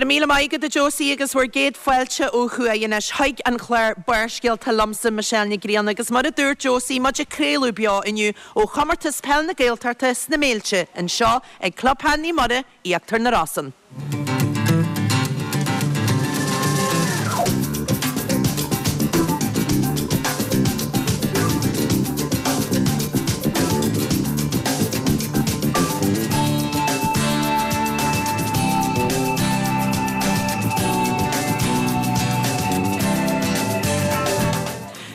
Go raibh míle maith agat a Josie agus bhur gcéad fáilte ó thuaidh anois chuig an chlár Barrscéalta liomsa Michelle Nic Grianna agus mar a dúirt Josie muid ag craoladh beo inniu ó Chomórtas Peil na Gaeltachta sna Méilte anseo ag Club Peil Naomh Muire, Íochtar na Rosann.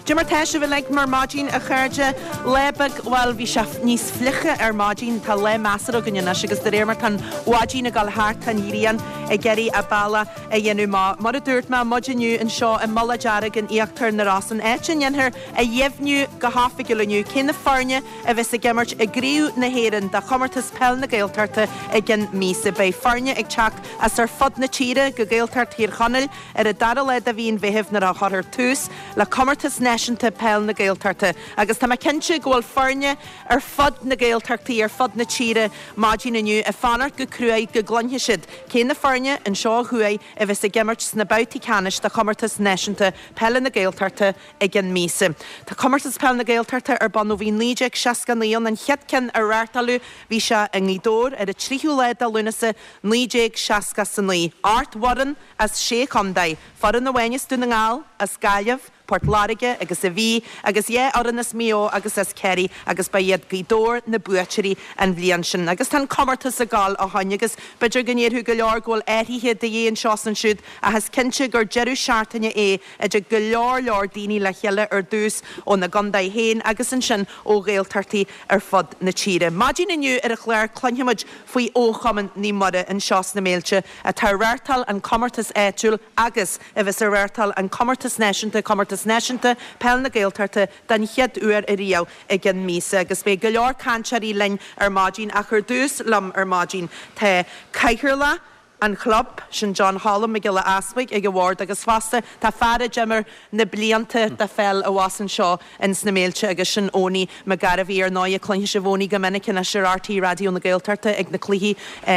Cad é mar tá sibh uilig ar maidin, a chairde? Lá beag, bhuel, bhí sé níos fliche ar maidin, tá lá measartha againn anois agus de réir mar tá an mhaidin ag dul thart tá an ghrian ag iarraidh a bealach a dhéanamh amach. Mar a dúirt mé, muid inniu anseo i Mullach Dearg in Íochtar na Rosann, áit a ndéanfar a dheimhniú go hoifigiúil inniu cé na foirne a bheas ag imirt i gCraobh na hÉireann de Chomórtas Peil na Gaeltachta i gcionn míosa. Beidh foirne ag teacht as ar fud na tíre go Gaeltacht Thír Chonaill ar an dara lá de mhí an Mheithimh nuair a chuirfear tús le Comórtas Náisiúnta Peil na Gaeltachta agus tá mé cinnte go bhfuil foirne ar fud na Gaeltachtaí ar fud na tíre maidin inniu ag fanacht go cruaidh go gcluinfidh siad cé na foirne anseo ó thuaidh a bheas ag imirt sna babhtaí ceannais de Chomórtas Náisiúnta Peile na Gaeltachta i gcionn míosa. Tá Comórtas Peile na Gaeltachta ar bun ó bhí 1969 ann, an chéad ceann a reáchtáladh bhí sé i nGaoth Dobhair ar an tríú lá de Lúnasa 1969. 8 bhfoireann as sé chontae, foireann amháin as Dún na nGall, as Gaillimh, Port Láirge agus an Mhí, agus 2 fhoireann as Maigh Eo agus as Ciarraí agus ba iad Gaoth Dobhair na buaiteoirí an bhliain sin. Agus tá an comórtas ag gabháil ó shoin agus b'fhéidir go ndéarfadh go leor go bhfuil athruithe de dhíth anseo is ansiúd ach is cinnte gur deireadh seachtaine é a dtig go leor leor daoine le chéile ar dtús óna gcontae féin agus ansin ó Ghaeltachtaí ar fud na tíre. Maidin inniu ar an chlár cluinfimid faoi fhochumann Naomh Muire anseo sna Méilte atá ag reáchtáil an comórtas áitiúil agus a bheas ag reáchtáil an comórtas náisiúnta, Comórtas Náisiúnta Peil na Gaeltachta den chéad uair ariamh i gcionn míosa agus beidh go leor cainteoirí linn ar maidin ach ar dtús liom ar maidin tá Cathaoirleach an chlub, sin John Cholm Mac Giolla Easbuig ag an bhord agus fosta tá fear a d'imir na blianta de pheil abhus anseo ins na Méilte agus sin Owenie McGarvey. Ar ndóighe cluinfidh sibh Owenie go minic anois ar RTÉ Raidió na Gaeltachta ag na cluichí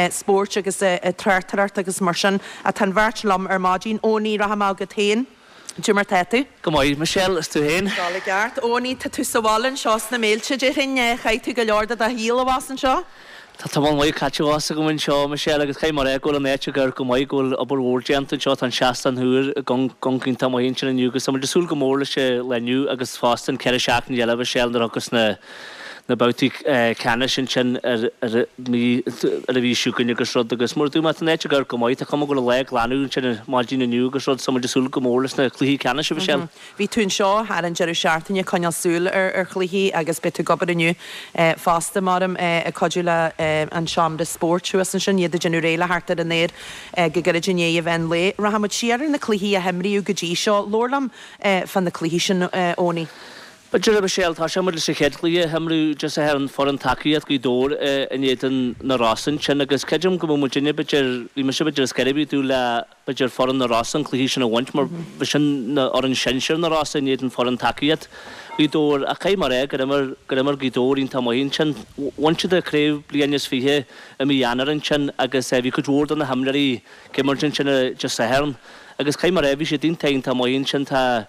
spóirt agus ag tráchtaireacht agus mar sin. Tá an bheirt liom ar maidin. Owenie, rachaidh mé agat féin. Cad é mar tá tú? Go maith, Michelle, is tú féin? Dul i gceart. Owenie, tá tú sa bhaile anseo sna Méilte, déarfainn. Chaith tú go leor de do shaol abhus anseo? Tá tamall maith caite abhus agam anseo, Michelle, agus caithfidh mé a rá go bhfuil an áit ag amharc go maith, go bhfuil obair mhór déanta anseo. Tá an seastán úr ag amharc iontach maith ansin inniu agus tá muid ag súil go mór leis an lá inniu agus fosta an 4 seachtaine eile, Michelle, nuair a thiocfas na na babhtaí ceannais ansin ar ar mí ar an mhí seo chugainn agus rud agus mar a dúirt mé tá an áit ag amharc go maith tá cuma go bhfuil an lá ag glanadh ansin ar maidin inniu agus rud so muid ag súil go mór leis na cluichí ceannais a Mhichelle. Bhí tú anseo thar an deireadh seachtaine ag coinneáil súil ar ar chluichí agus beidh tú ag obair inniu fosta maram ag cuidiú le an seomra spóirt thuas ansin iad ag déanamh réidh le theacht ar an aer go gairid i ndiaidh an mheán lae. Rachaidh muid siar ar na cluichí a himríodh go dtí seo. Labhair liom fá na cluichí sin Owenie. B'fhéidir, a Mhichelle, tosóidh muid leis an chéad chluiche a himríodh Dé Sathairn, foireann tacaíocht Ghaoth Dobhair in éadan na Rosann ansin agus creidim go mbeadh muidinne, b'fhéidir, bhí mise b'fhéidir is scairbí ag dúil le, b'fhéidir, foireann na Rosann an cluiche sin a bhaint mar bhí sin na fhoireann sinsir na Rosann in éadan foireann tacaíocht Ghaoth Dobhair ach caithfidh mé a rá gur imir, gur imir Gaoth Dobhair iontach maith ansin. Bhain siad an chraobh bliain is 20 i mí Eanáir ansin agus bhí cuid mhór de na himreoirí ag imirt ansin Dé Sathairn agus caithfidh mé a rá bhí siad iontach iontach maith ansin. Tá.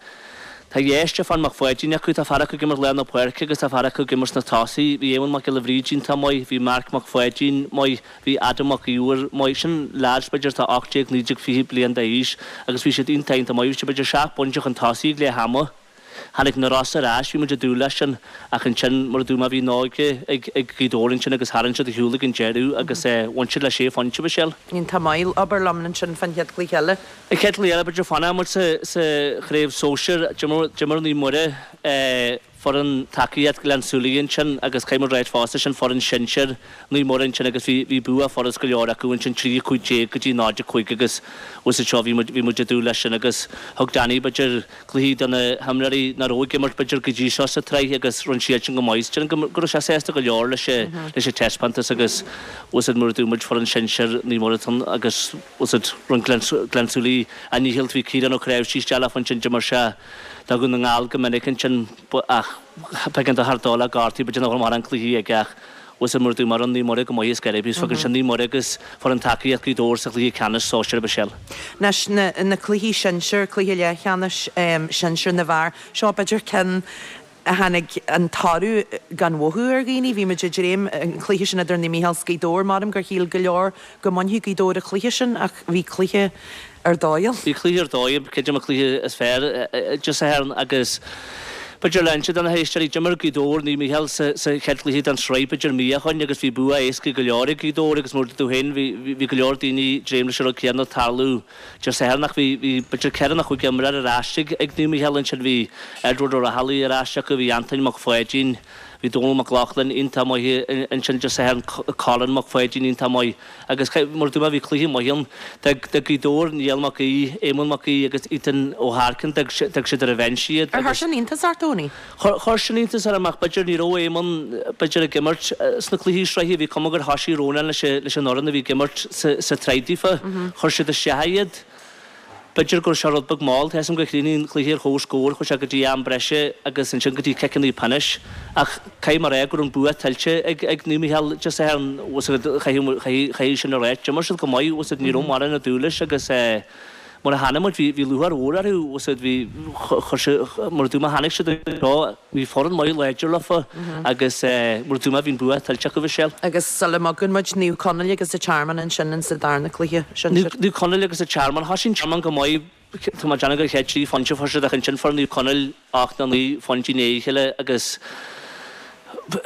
Tá dhá Stiofán Mac Pháidín acu, tá fear acu ag imirt lár na páirce agus tá fear acu ag imirt sna tosaí. Bhí Éamonn Mac Giolla Bhríde iontach maith, bhí Marc Mac Pháidín maith, bhí Adam Mac Íomhair maith. Sin leaids b'fhéidir atá 18, 19, 20 bliain d'aois agus bhí siad iontach iontach maith. Bhí siad b'fhéidir seacht bpointe chun tosaigh ag leath ama. Tháinig na Rosa ar ais, bhí muid ag dúil leis sin ach ansin mar a dúirt mé bhí an óige ag Gaoth Dobhair ansin agus tharraing siad ar shiúl ag an deireadh agus bhain siad le sé phointe, Michelle. Iontach maith. Abair liom ansin fán chéad chluiche eile. An chéad chluiche eile, b'fhéidir fanfaidh muid sa chraobh sóisir. D'imir Naomh Muire foireann tacaíocht Ghleann tSúilí ansin agus caithfidh muid ráit fosta, sin foireann sinsir Naomh Muire ansin agus bhí bhí bua furast go leor acu ansin 3 15 go dtí 0 5 agus thuas anseo bhí muid bhí muid ag dúil leis sin agus thug Danny b'fhéidir cluichí do na himreoirí nach raibh ag imirt b'fhéidir go dtí seo sa tsraith agus rinne siad sin go maith. Déarfainn go go raibh sé sásta go leor leis leis an taispeántas agus thuas mar a dúirt muid foireann sinsir Naomh Muire agus Bhfuil a fhios agat, rinne Gleann tSúilí a ndícheall, bhí Ciarán Ó Cnáimhsí isteach leofa ansin, d'imir sé do Dhún na nGall go minic ansin ach b'éigean dó thar dul le gortú, b'fhéidir nach raibh mórán cluichí aige ach bhfuil a fhios agat. Bhfuil mar a dúirt mé rinne Naomh Muire go maith ar scor ar bith is fágann sin Naomh Muire agus foireann tacaíocht Ghaoth Dobhair sa chluiche ceannais sóisir a Mhichelle. Anois na na cluichí sinsir, cluiche leathcheannais sinsir na bhfear, seo b'fhéidir ceann a tháinig an toradh gan mhothú ar dhaoine. Bhí muid ag dréim an cluiche sin idir Naomh Mícheál 's Gaoth Dobhair, maram gur shíl go leor go mbainfeadh Gaoth Dobhair an cluiche sin ach bhí cluiche ar dóigh ann. Bhí cluiche ar dóigh, creidim an cluiche is fearr Dé Sathairn agus b'fhéidir le inse do na héisteoirí, d'imir Gaoth Dobhair Naomh Mícheál sa chéad chluiche den tsraith b'fhéidir mí ó shoin agus bhí bua éasca go leor ag Gaoth Dobhair agus mar a dúirt tú féin bhí go leor daoine ag dréim leis an rud céanna tarlú Dé Sathairn ach bhí b'fhéidir ceithre nó chúig imreoir ar ais ag Naomh Mícheál ansin, bhí Edward Ó Raghallaigh ar ais acu, bhí Antoin Mac Pháidín, bhí Dónal Mac Lochlainn iontach maith ansin Dé Sathairn, Colin Mac Pháidín iontach maith agus mar a dúirt mé bhí cluiche maith ann. D'fhág Gaoth Dobhair, Niall Mac Aoidh, Éamonn Mac Aoidh agus Ethan Ó hEarcain, d'fhág siad ar an bhinse iad Ar chuir sin iontas ort, Tony? Chuir sin iontas orm ach b'fhéidir ní raibh Éamonn b'fhéidir ag imirt sna cluichí sraithe, bhí cuma gur thoisigh Rónán leis an fhoireann a bhí ag imirt sa tsraith daofa. Chuir siad isteach iad. B'fhéidir go raibh sé rud beag mall, tá 'fhios a'm gur chríochnaigh an cluiche ar chomhscór, chuaigh sé go dtí am breise agus ansin go dtí ciceanna pionóis ach caithfidh mé a rá go raibh an bua tuillte ag ag Naomh Mícheál Dé Sathairn, caithfidh sin a rá. D'imir siad go maith, ní raibh mórán ag dúil leis agus mar a chonaic muid, bhí lúcháir mhór orthu, bhí, chuir siad, mar a dúirt mé, tháinig siad anseo, bhí foireann maith láidir leofa agus mar a dúirt mé, bhí an bua tuillte acu, Michelle. Agus sula mbogann muid, Naomh Conaill agus an Tearmann ansin in sa darna cluiche sinsir. Naomh Conaill agus an Tearmann, thosaigh an Tearmann go maith, tá mé ag déanamh gur chéad trí phointe a fuair siad ach ansin fuair Naomh Conaill 8 nó 9 phointe i ndiaidh a chéile agus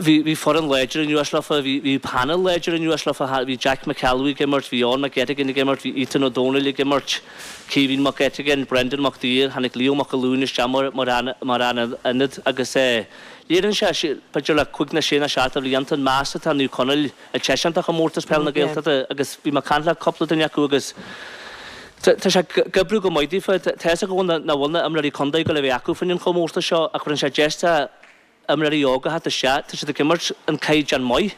bhí bhí foireann láidir anuas leofa, bhí bhí panel láidir anuas leofa, bhí Jack McElwee ag imirt, bhí Eoin McGettigan ag imirt, bhí Ethan Ó Dónaill ag imirt, Caoimhín Mac Eiteagáin, Brendan Mac Duibhir, tháinig Leo Mac Uallúin isteach mar mar mar fhear ionaid agus eh léiríonn sé b'fhéidir le cúig nó sé nó seacht de bhlianta an meas atá Naomh Conaill ag taispeáint do chomórtas peile na Gaeltachta agus bhí mé ag caint le cúpla duine acu agus tá sé ag oibriú go maith daofa. Tá fhios acu nach bhfuil na imreoirí contae ag dul a bheith acu fá choinne an chomórtais seo ach cuireann sé deis do imreoirí óga a theacht isteach, tá siad ag imirt an caighdeán maith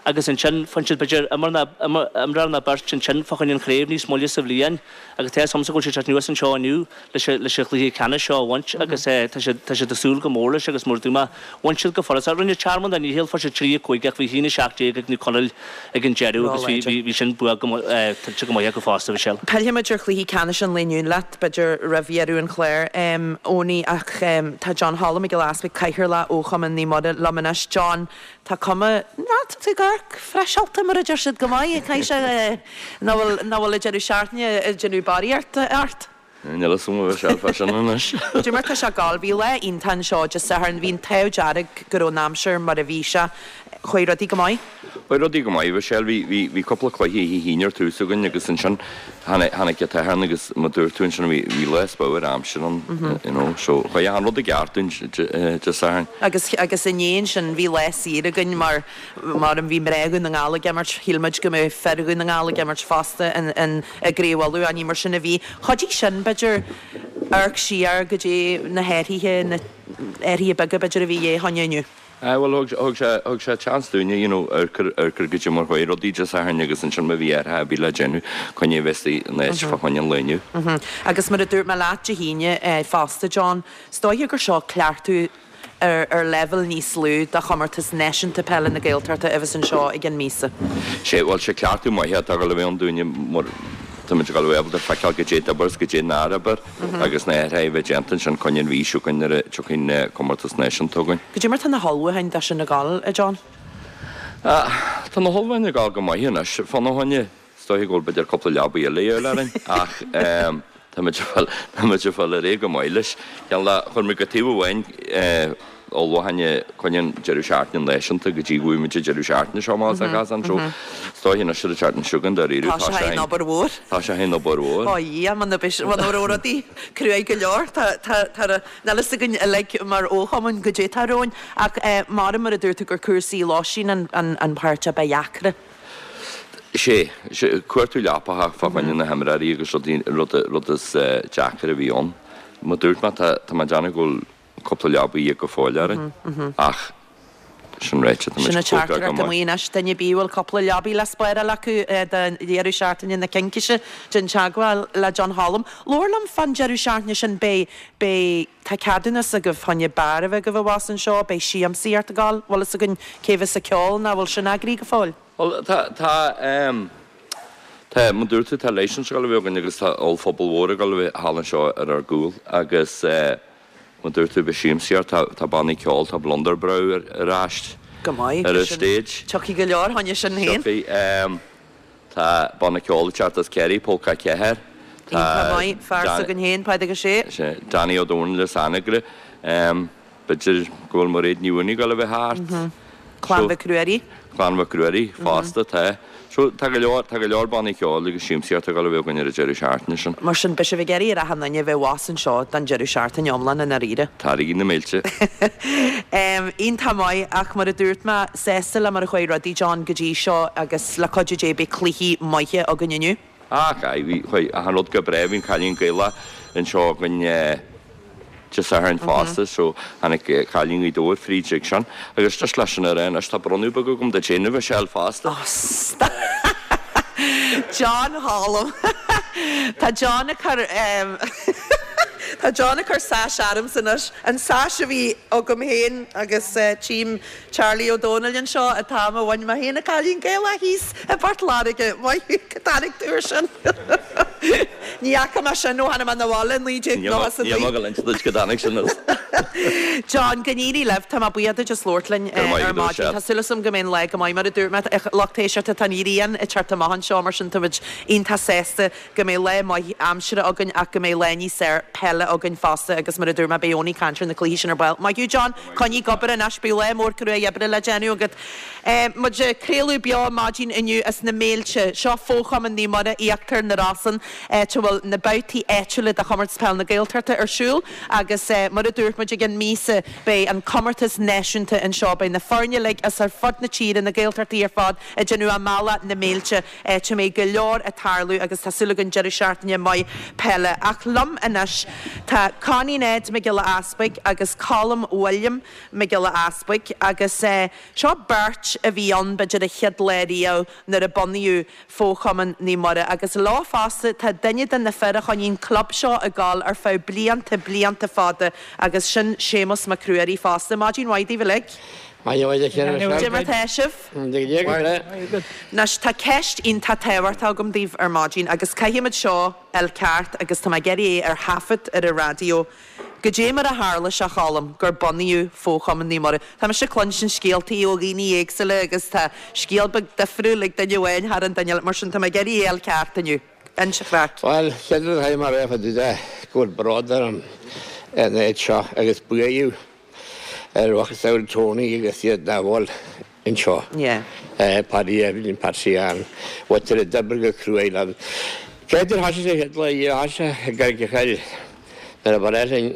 agus ansin faigheann siad b'fhéidir imreoir nó beirt ansin fá choinne an chraobh níos moille sa bhliain agus tá fhios agamsa go bhfuil siad ag teacht anuas anseo inniu leis an chluiche ceannais seo a bhaint agus tá siad tá siad ag súil go mór leis agus mar a dúirt mé, bhain siad go furasta. Rinne Tearmann a ndícheall, fuair siad 3 5 ach bhí 1 17 ag Naomh Conaill ag an deireadh agus bhí bhí bhí sin bua go tuillte go maith acu fosta, Michelle. Pillfidh muid ar chluichí ceannais an lae inniu leat, b'fhéidir, roimh dheireadh an chláir, Owenie, ach tá John Choilm Mac Giolla Easpaig, Cathaoirleach ó Chumann Naomh Muire, liom anois. John, tá cuma, ná, tá tú ag amharc freiseálta, mar a deir siad, go maith. Caithfidh sé nach bhfuil, nach bhfuil an deireadh seachtaine ag déanamh barraíocht ort. Níl a fhios agam a Mhichelle fá sin anois. Cad é mar tá sé ag gabháil. Bhí lá iontach anseo Dé Sathairn. Bhí an t-ádh dearg go raibh an aimsir mar a bhí sé. Chuaigh rudaí go maith? Chuaigh rudaí go maith, Mhichelle. Bhí, bhí, bhí cúpla cluiche oíche hAoine ar tús againn agus ansin tháinig, tháinig an tSatharn agus mar dúirt tú ansin bhí, bhí lá spiorad aimsir ann, you know, so chuaigh achan rud i gceart dúinn Dé Sathairn. Agus, agus inné ansin bhí lá saor againn mar Mar bhí mná Dhún na nGall ag imirt, shíl muid go mbeadh fir Dhún na nGall ag imirt fosta i gCraobh Uladh, ach ní mar sin a bhí. Chuidigh sin, b'fhéidir, amharc siar go dtí na hathruithe, na hathruithe beaga, b'fhéidir, a bhí de dhíth fá choinne inniu. Aye, bhuel, thug, thug sé, thug sé chance dúinne, you know, amharc ar, amharc ar goidé mar chuaigh rudaí Dé Sathairn agus ansin má bhí athruithe ar bith le déanamh, coinne a bheith in áit fá choinne an lae inniu. Agus mar a dúirt mé leat Dé hAoine fosta, John, is dóiche gur seo cleachtadh ar leibhéal níos lú do chomórtas náisiúnta peile na Gaeltachta a bheas anseo i gceann míosa. Sé, bhuel, sé cleachtadh maith atá ag dul a bheith ann dúinne mar táimid ag dul a bheith ábalta feiceáil goidé d'oibir is goidé nár oibir agus na hathruithe a bheith déanta ansin coinne an mhí seo chugainn nuair a tiocfaidh an comórtas náisiúnta chugainn. Goidé mar tá na hullmhúcháin dó sin ag dul, a John? Tá na hullmhúcháin ag dul go maith anois fána choinne. Is dóiche go bhfuil b'fhéidir cúpla leabaidh eile a dhíobháil orainn ach táimid ag fáil, táimid ag fáil ar aghaidh go maith leis. Ceann le, chuir muid go taobh amháin ullmhúcháin coinne an deireadh seachtaine náisiúnta go dtí go bhfaighidh muid an deireadh seachtaine seo amach as an Chasán so is dóiche anois ar an tseachtain seo chugainn dáiríre Tá sé in obair mhór. Tá sé in obair mhór. Ó Dhia, muna raibh rudaí cruaidh go leor, tá, tá, tá, níl fhios againn uilig mar fhochumann goidé atá romhainn ach mar, mar a dúirt tú gur cúrsaí lóistín an, an, an páirt a ba dheacra. Sé, sé, cuartú leapacha fá choinne na himreoirí agus rudaí, rud, rud is deacair a bhí ann. Mar dúirt mé, tá, tá mé ag déanamh go bhfuil cúpla leabaidh go fóill orainn ach. Sin ráite, tá Sin muid an cócairithe go teachtaireacht maith. amuigh anois. Duine ar bith a bhfuil cúpla leabaidh le spáráil acu don deireadh seachtaine na Cincíse, déan teagmháil le John Cholm. Labhair liom fán deireadh seachtaine sin, beidh, beidh, tá ceadúnas agaibh fá choinne beár a bheith agaibh abhus anseo, beidh siamsaíocht ag gabháil, bhfuil fhios againn cé bheas ag ceol nó bhfuil sin eagraithe go fóill? Bhuel, tá, tá, ehm, tá, mar dúirt tú, tá licence ag dul a bheith againn agus tá ollphuball mhór ag dul a bheith thall anseo ar ár gcúl agus eh, mar dúirt tú, beidh siamsaíocht, tá, tá bannaí ceoil, tá Blunder Brow ar, ar ais Go maith, ar an sin, stage. tiocfaidh go leor fá choinne sin féin. Tiocfaidh, ehm, tá banna ceoil ag teacht as Ciarraí, Pólca 4, tá Iontach maith, fear Dan- s'againn féin, Pádraig Ó Sé. Sea, Danny Ó Dónaill as Anagaire, ehm, B'fhéidir go bhfuil Mairéad Ní Mhaonaigh ag dul a bheith thart. Clann Mhic Ruairí. Clann Mhic Ruairí fosta, tá. So, tá go leor, tá go leor bannaí ceoil agus siamsaíocht ag dul a bheith againn ar an deireadh seachtaine sin. Mar sin, beidh sibh ag iarraidh ar achan duine a bheith abhus anseo don deireadh seachtaine iomlán i ndáiríre. Tarraigí na mílte. Iontach maith, ach mar a dúirt mé, sásta le mar a chuaigh rudaí, John, go dtí seo agus le cuidiú Dé beidh cluichí maithe againn inniu. Ach aye, bhí, chuaigh achan rud go breá, bhí an Cailín Gaelach anseo againn Dé Sathairn fosta so tháinig Cailín Ghaoth Dobhair fríd ag sin. Agus just leis sin a rá anois, tá bronnadh beag agam duit féin, a Mhichelle, fosta. Oh stop! John Cholm. Tá John ag cur Tá John ag cur sash ormsa anois, an sash a bhí agam féin agus tchím Charlie Ó Dónaill anseo an t-am a bhain mé féin an Cailín Gaelach thíos i bPort Láirge. Maith thú, cá dtáinig tú ar sin? Ní fhaca mé sin ó tháinig mé 'na bhaile i 1999. Níl mé ag inse duit cá dtáinig sin as. John, go n-éirí libh. Tá mé buíoch duit as labhairt linn ar maidin. Tá súil agam go mbeidh an lá go maith. Mar a dúirt mé, lucht éisteachta, tá an ghrian ag teacht amach anseo, mar sin táimid iontach sásta go mbeidh lá maith aimsire againn ach go mbeidh lá níos fearr peile againn fosta agus mar a dúirt mé beidh Eoin ag caint ar na cluichí sin ar ball. Maith thú John, coinnigh ag obair anois, beidh lá mór cruaidh oibre le déanamh agat. Muid ag craoladh beo maidin inniu as na Méilte. Seo Fo-Chumann Naomh Muire, Íochtar na Rosann, áit a bhfuil na babhtaí áitiúla de Chomórtas Peile na Gaeltachta ar siúl agus mar a dúirt muid i gceann míosa beidh an comórtas náisiúnta anseo. Beidh na foirne uilig as ar fud na tíre, na Gaeltachtaí ar fad, ag déanamh a mbealach na Méilte. áit a mbeidh go leor ag tarlú agus tá súil againn deireadh seachtaine maith peile. Ach liom anois tá Connie Ned Mac Giolla Easpaig agus Colm William Mac Giolla Easpaig agus seo beirt a bhí ann b'fhéidir an chéad lá riamh nuair a bunaíodh Fo-Chumann Naomh Muire agus leo fosta tá duine de na fir a choinnigh an club seo ag dul ar feadh blianta, blianta fada agus sin Séamus Mac Ruairí fosta. Maidin mhaith daoibh uilig. Maidin mhaith duit. Cad é mar tá sibh? Anois, tá ceist iontach tábhachtach agam daoibh ar maidin agus caithfimid seo a fháil ceart agus tá mé ag iarraidh é ar thaifead ar an raidió. Goidé mar a tharla sé, a Choilm, gur bunaíodh Fo-Chumann Naomh Muire? Tá mise ag cluinstin scéaltaí ó dhaoine éagsúla agus tá scéal beag difriúil ag duine amháin thar an duine eile, mar sin tá mé ag iarraidh é a fháil ceart inniu. Inis an chraic. Bhuel, chéad rud a chaithfidh mé a rá fá dtaobh de go bhfuil bród orm an áit seo agus buaidh ar mhacasamhail Tony agus iad nach bhfuil anseo. Paddy Evelyn, Patsy Ann, mhuintir a d'oibrigh go cruaidh leo. Cé gur thosaigh sé chéad lá riamh, thosaigh sé i gCarraig an Choill nuair a ba réidh linn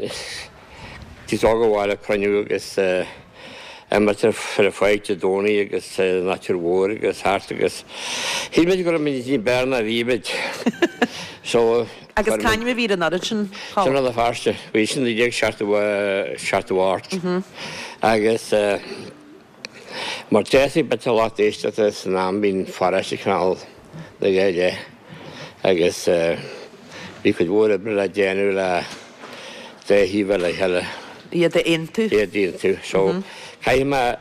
tús óg a bhaile cruinniú agus imirt ar an pháirc Dé Domhnaigh agus an Aitir Mhór agus thart agus shíl muid go raibh muid ní b'fhearr ná bhí muid. So Agus c'ainm a bhí ar an fhoireann sin, Colm? Sin Rann na Feirste. Bhí sin 1978 agus mar d'fhéadfaí bit a lucht éisteachta san am bhí an pharóiste cineál na dhá leith agus bhí cuid mhór oibre le déanamh le dá thaobh le chéile. Iad a aontú. Iad a aontú. So caithfidh mé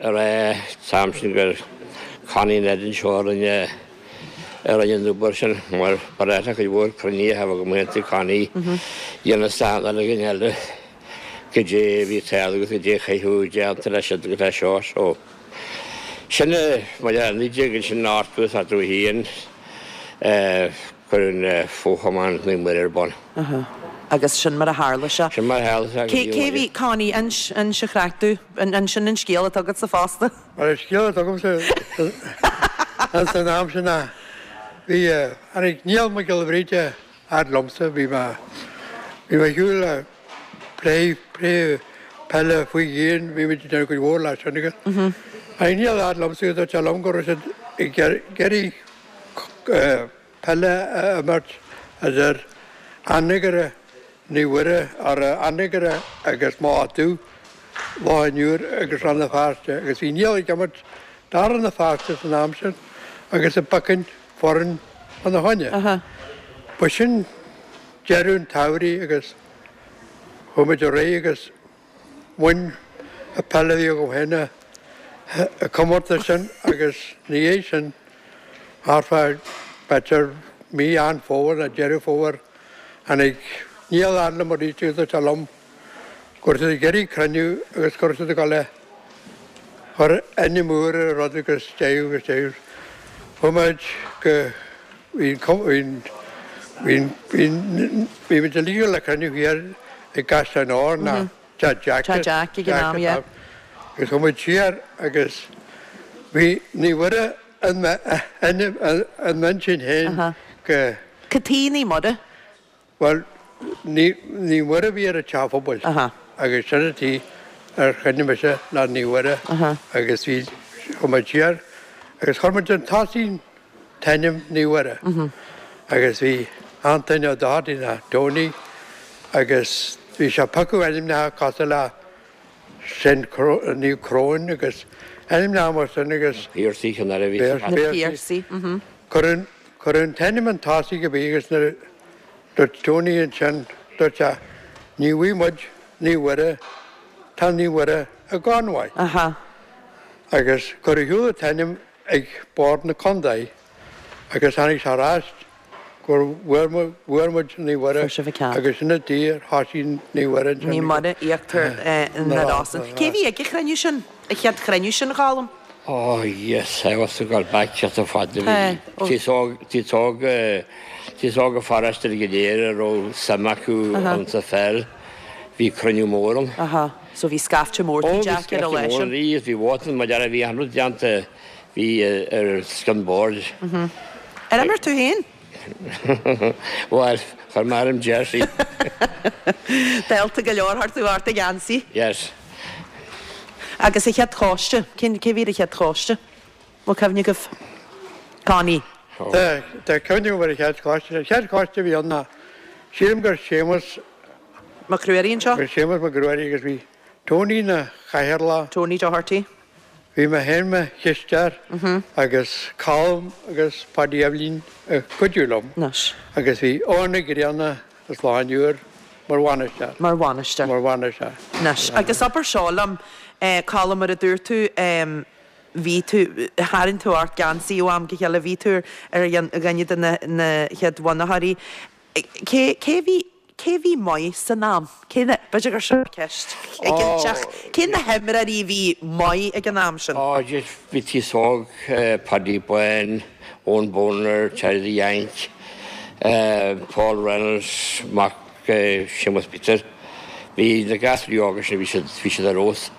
a rá san am sin gur Connie Ned anseo a rinne a rinne an obair sin mar ba ghnách le cuid mhór cruinnithe a bheith agam aontaigh Connie dhéanamh stand ar againn eile goidé a bhí ag tarlú agus goidé a chaithfeadh déanta leis siad agus leis seo so sin mar dhea 1971 cuireadh an Fo-Chumann Naomh Muire ar bun. Agus sin mar a tharla sé. Sin mar a tharla sé agus Cé bhí Connie inis an chraic dúinn ansin an scéal atá agatsa fosta. Mar an scéal atá agamsa ins an am sin ná bhí tháinig Niall Mac Giolla Bhríde fhad liomsa, bhí mé bhí mé ar shiúl le plé plé peile faoi dhíon, bhí muid ag déanamh cuid mhór leis sin agus tháinig Niall fhad liomsa agus dúirt sé liom go raibh siad ag iarraidh peile a imirt idir Anagaire Naomh Mhuire, or Anagaire agus Maigh Dubh. Loch an Iúir agus Rann na Feirste agus bhí Niall ag imirt do Rann na Feirste san am sin agus ag piocadh foireann fána choinne. Ba sin deireadh an tsamhraidh agus chuaigh muid ar aghaidh agus bhain an peil a bhí agam féin an comórtas sin agus ina dhiaidh sin thart fá b'fhéidir mí Mheán Fómhair nó Deireadh Fómhair tháinig Niall fhad liom arís agus dúirt sé liom go raibh siad ag iarraidh cruinniú agus go raibh siad ag dul a chur ainm úr ar an rud agus deireadh agus deireadh. Chuaigh muid go bhí an bhí bhí bhí muid uilig le cruinniú thiar i gCaisleán Óir ná Teach Jack Teach Jack ag an am, yeah. Agus chuaigh muid siar agus bhí Naomh Muire in m'intinn féin go. Cad chuige Naomh Muire? Bhuel, Naomh Muire a bhí ar an teach phobail agus sin an tuige ar choinnigh mise le Naomh Muire agus bhí, chuaigh muid siar agus chuir muid chun tosaigh an t-ainm Naomh Muire agus bhí Antaine Ó Dochartaigh ná Tony agus bhí sé ag piocadh ainmneacha cosúil le Saint Naomh Cróin agus ainmneacha mar sin agus. Piarsaigh an air a bhí sa. Na Piarsaigh. Cuireadh an t-ainm chun tosaigh a bhí agus nuair a dúirt Tony ansin, dúirt sé, ní bhfaighidh muid Naomh Mhuire, tá Naomh Mhuire i gConmhaigh. Agus cuireadh ar shiúl an t-ainm ag Bord na Contae agus tháinig sé ar ais gur bhfuair muid Naomh Mhuire agus sin an tuige ar thosaigh Naomh Mhuire ansin. Naomh Muire, Íochtar na Rosann. Cé a bhí ag an chruinniú sin, an chéad chruinniú sin, a Cholm? Oh yes, I was to go back just a fad a bhí tíos óg, tíos óg, tíos óg a pharáiste go léir a raibh suim acu ann sa pheil, bhí cruinniú mór ann. Aha, so bhí scaifte mór Tigh Jack ar an lá sin. Bhí, bhí vóta mar deara, bhí an rud déanta, bhí ar scian boird. Ar imir tú féin? Bhuel, chuir mé orm jersey. Dálta go leor, chuir tú ort an geansaí. Yes. Agus an chéad choiste, cén, cé bhí ar an chéad choiste? Bhfuil cuimhne agaibh? Connie. Tá, tá cuimhne agam ar an chéad choiste. An chéad choiste a bhí ann ná, sílim gur Séamus. Mac Ruairí anseo? Bhí Séamus Mac Ruairí agus bhí Tony ina chathaoirleach. Tony Doherty. Bhí mé féin mo chisteoir agus Colm agus Paddy Eibhlín ag cuidiú liom agus bhí Eoin Ó Grianna as Loch an Iúir mar bhainisteoir. Mar bhainisteoir. Mar bhainisteoir. Anois, agus abair seo liom, Colm, mar a dúirt tú, bhí tú, tharraing tú ort geansaí ó am go chéile, bhí tú ar dhuine de na chéad bhunaitheoirí. Cé, cé bhí, cé bhí maith san am? Cé na, b'fhéidir gur seo ceist éiginteach, cé na himreoirí a bhí maith ag an am sin? Ó, just bhí tíos óg, Paddy Bán, Eoin Boner, Charlie the Yank, Paul Reynolds, mac Séamus Peter. Bhí na gasúirí óga sin, bhí siad, bhí siad ar fheabhas.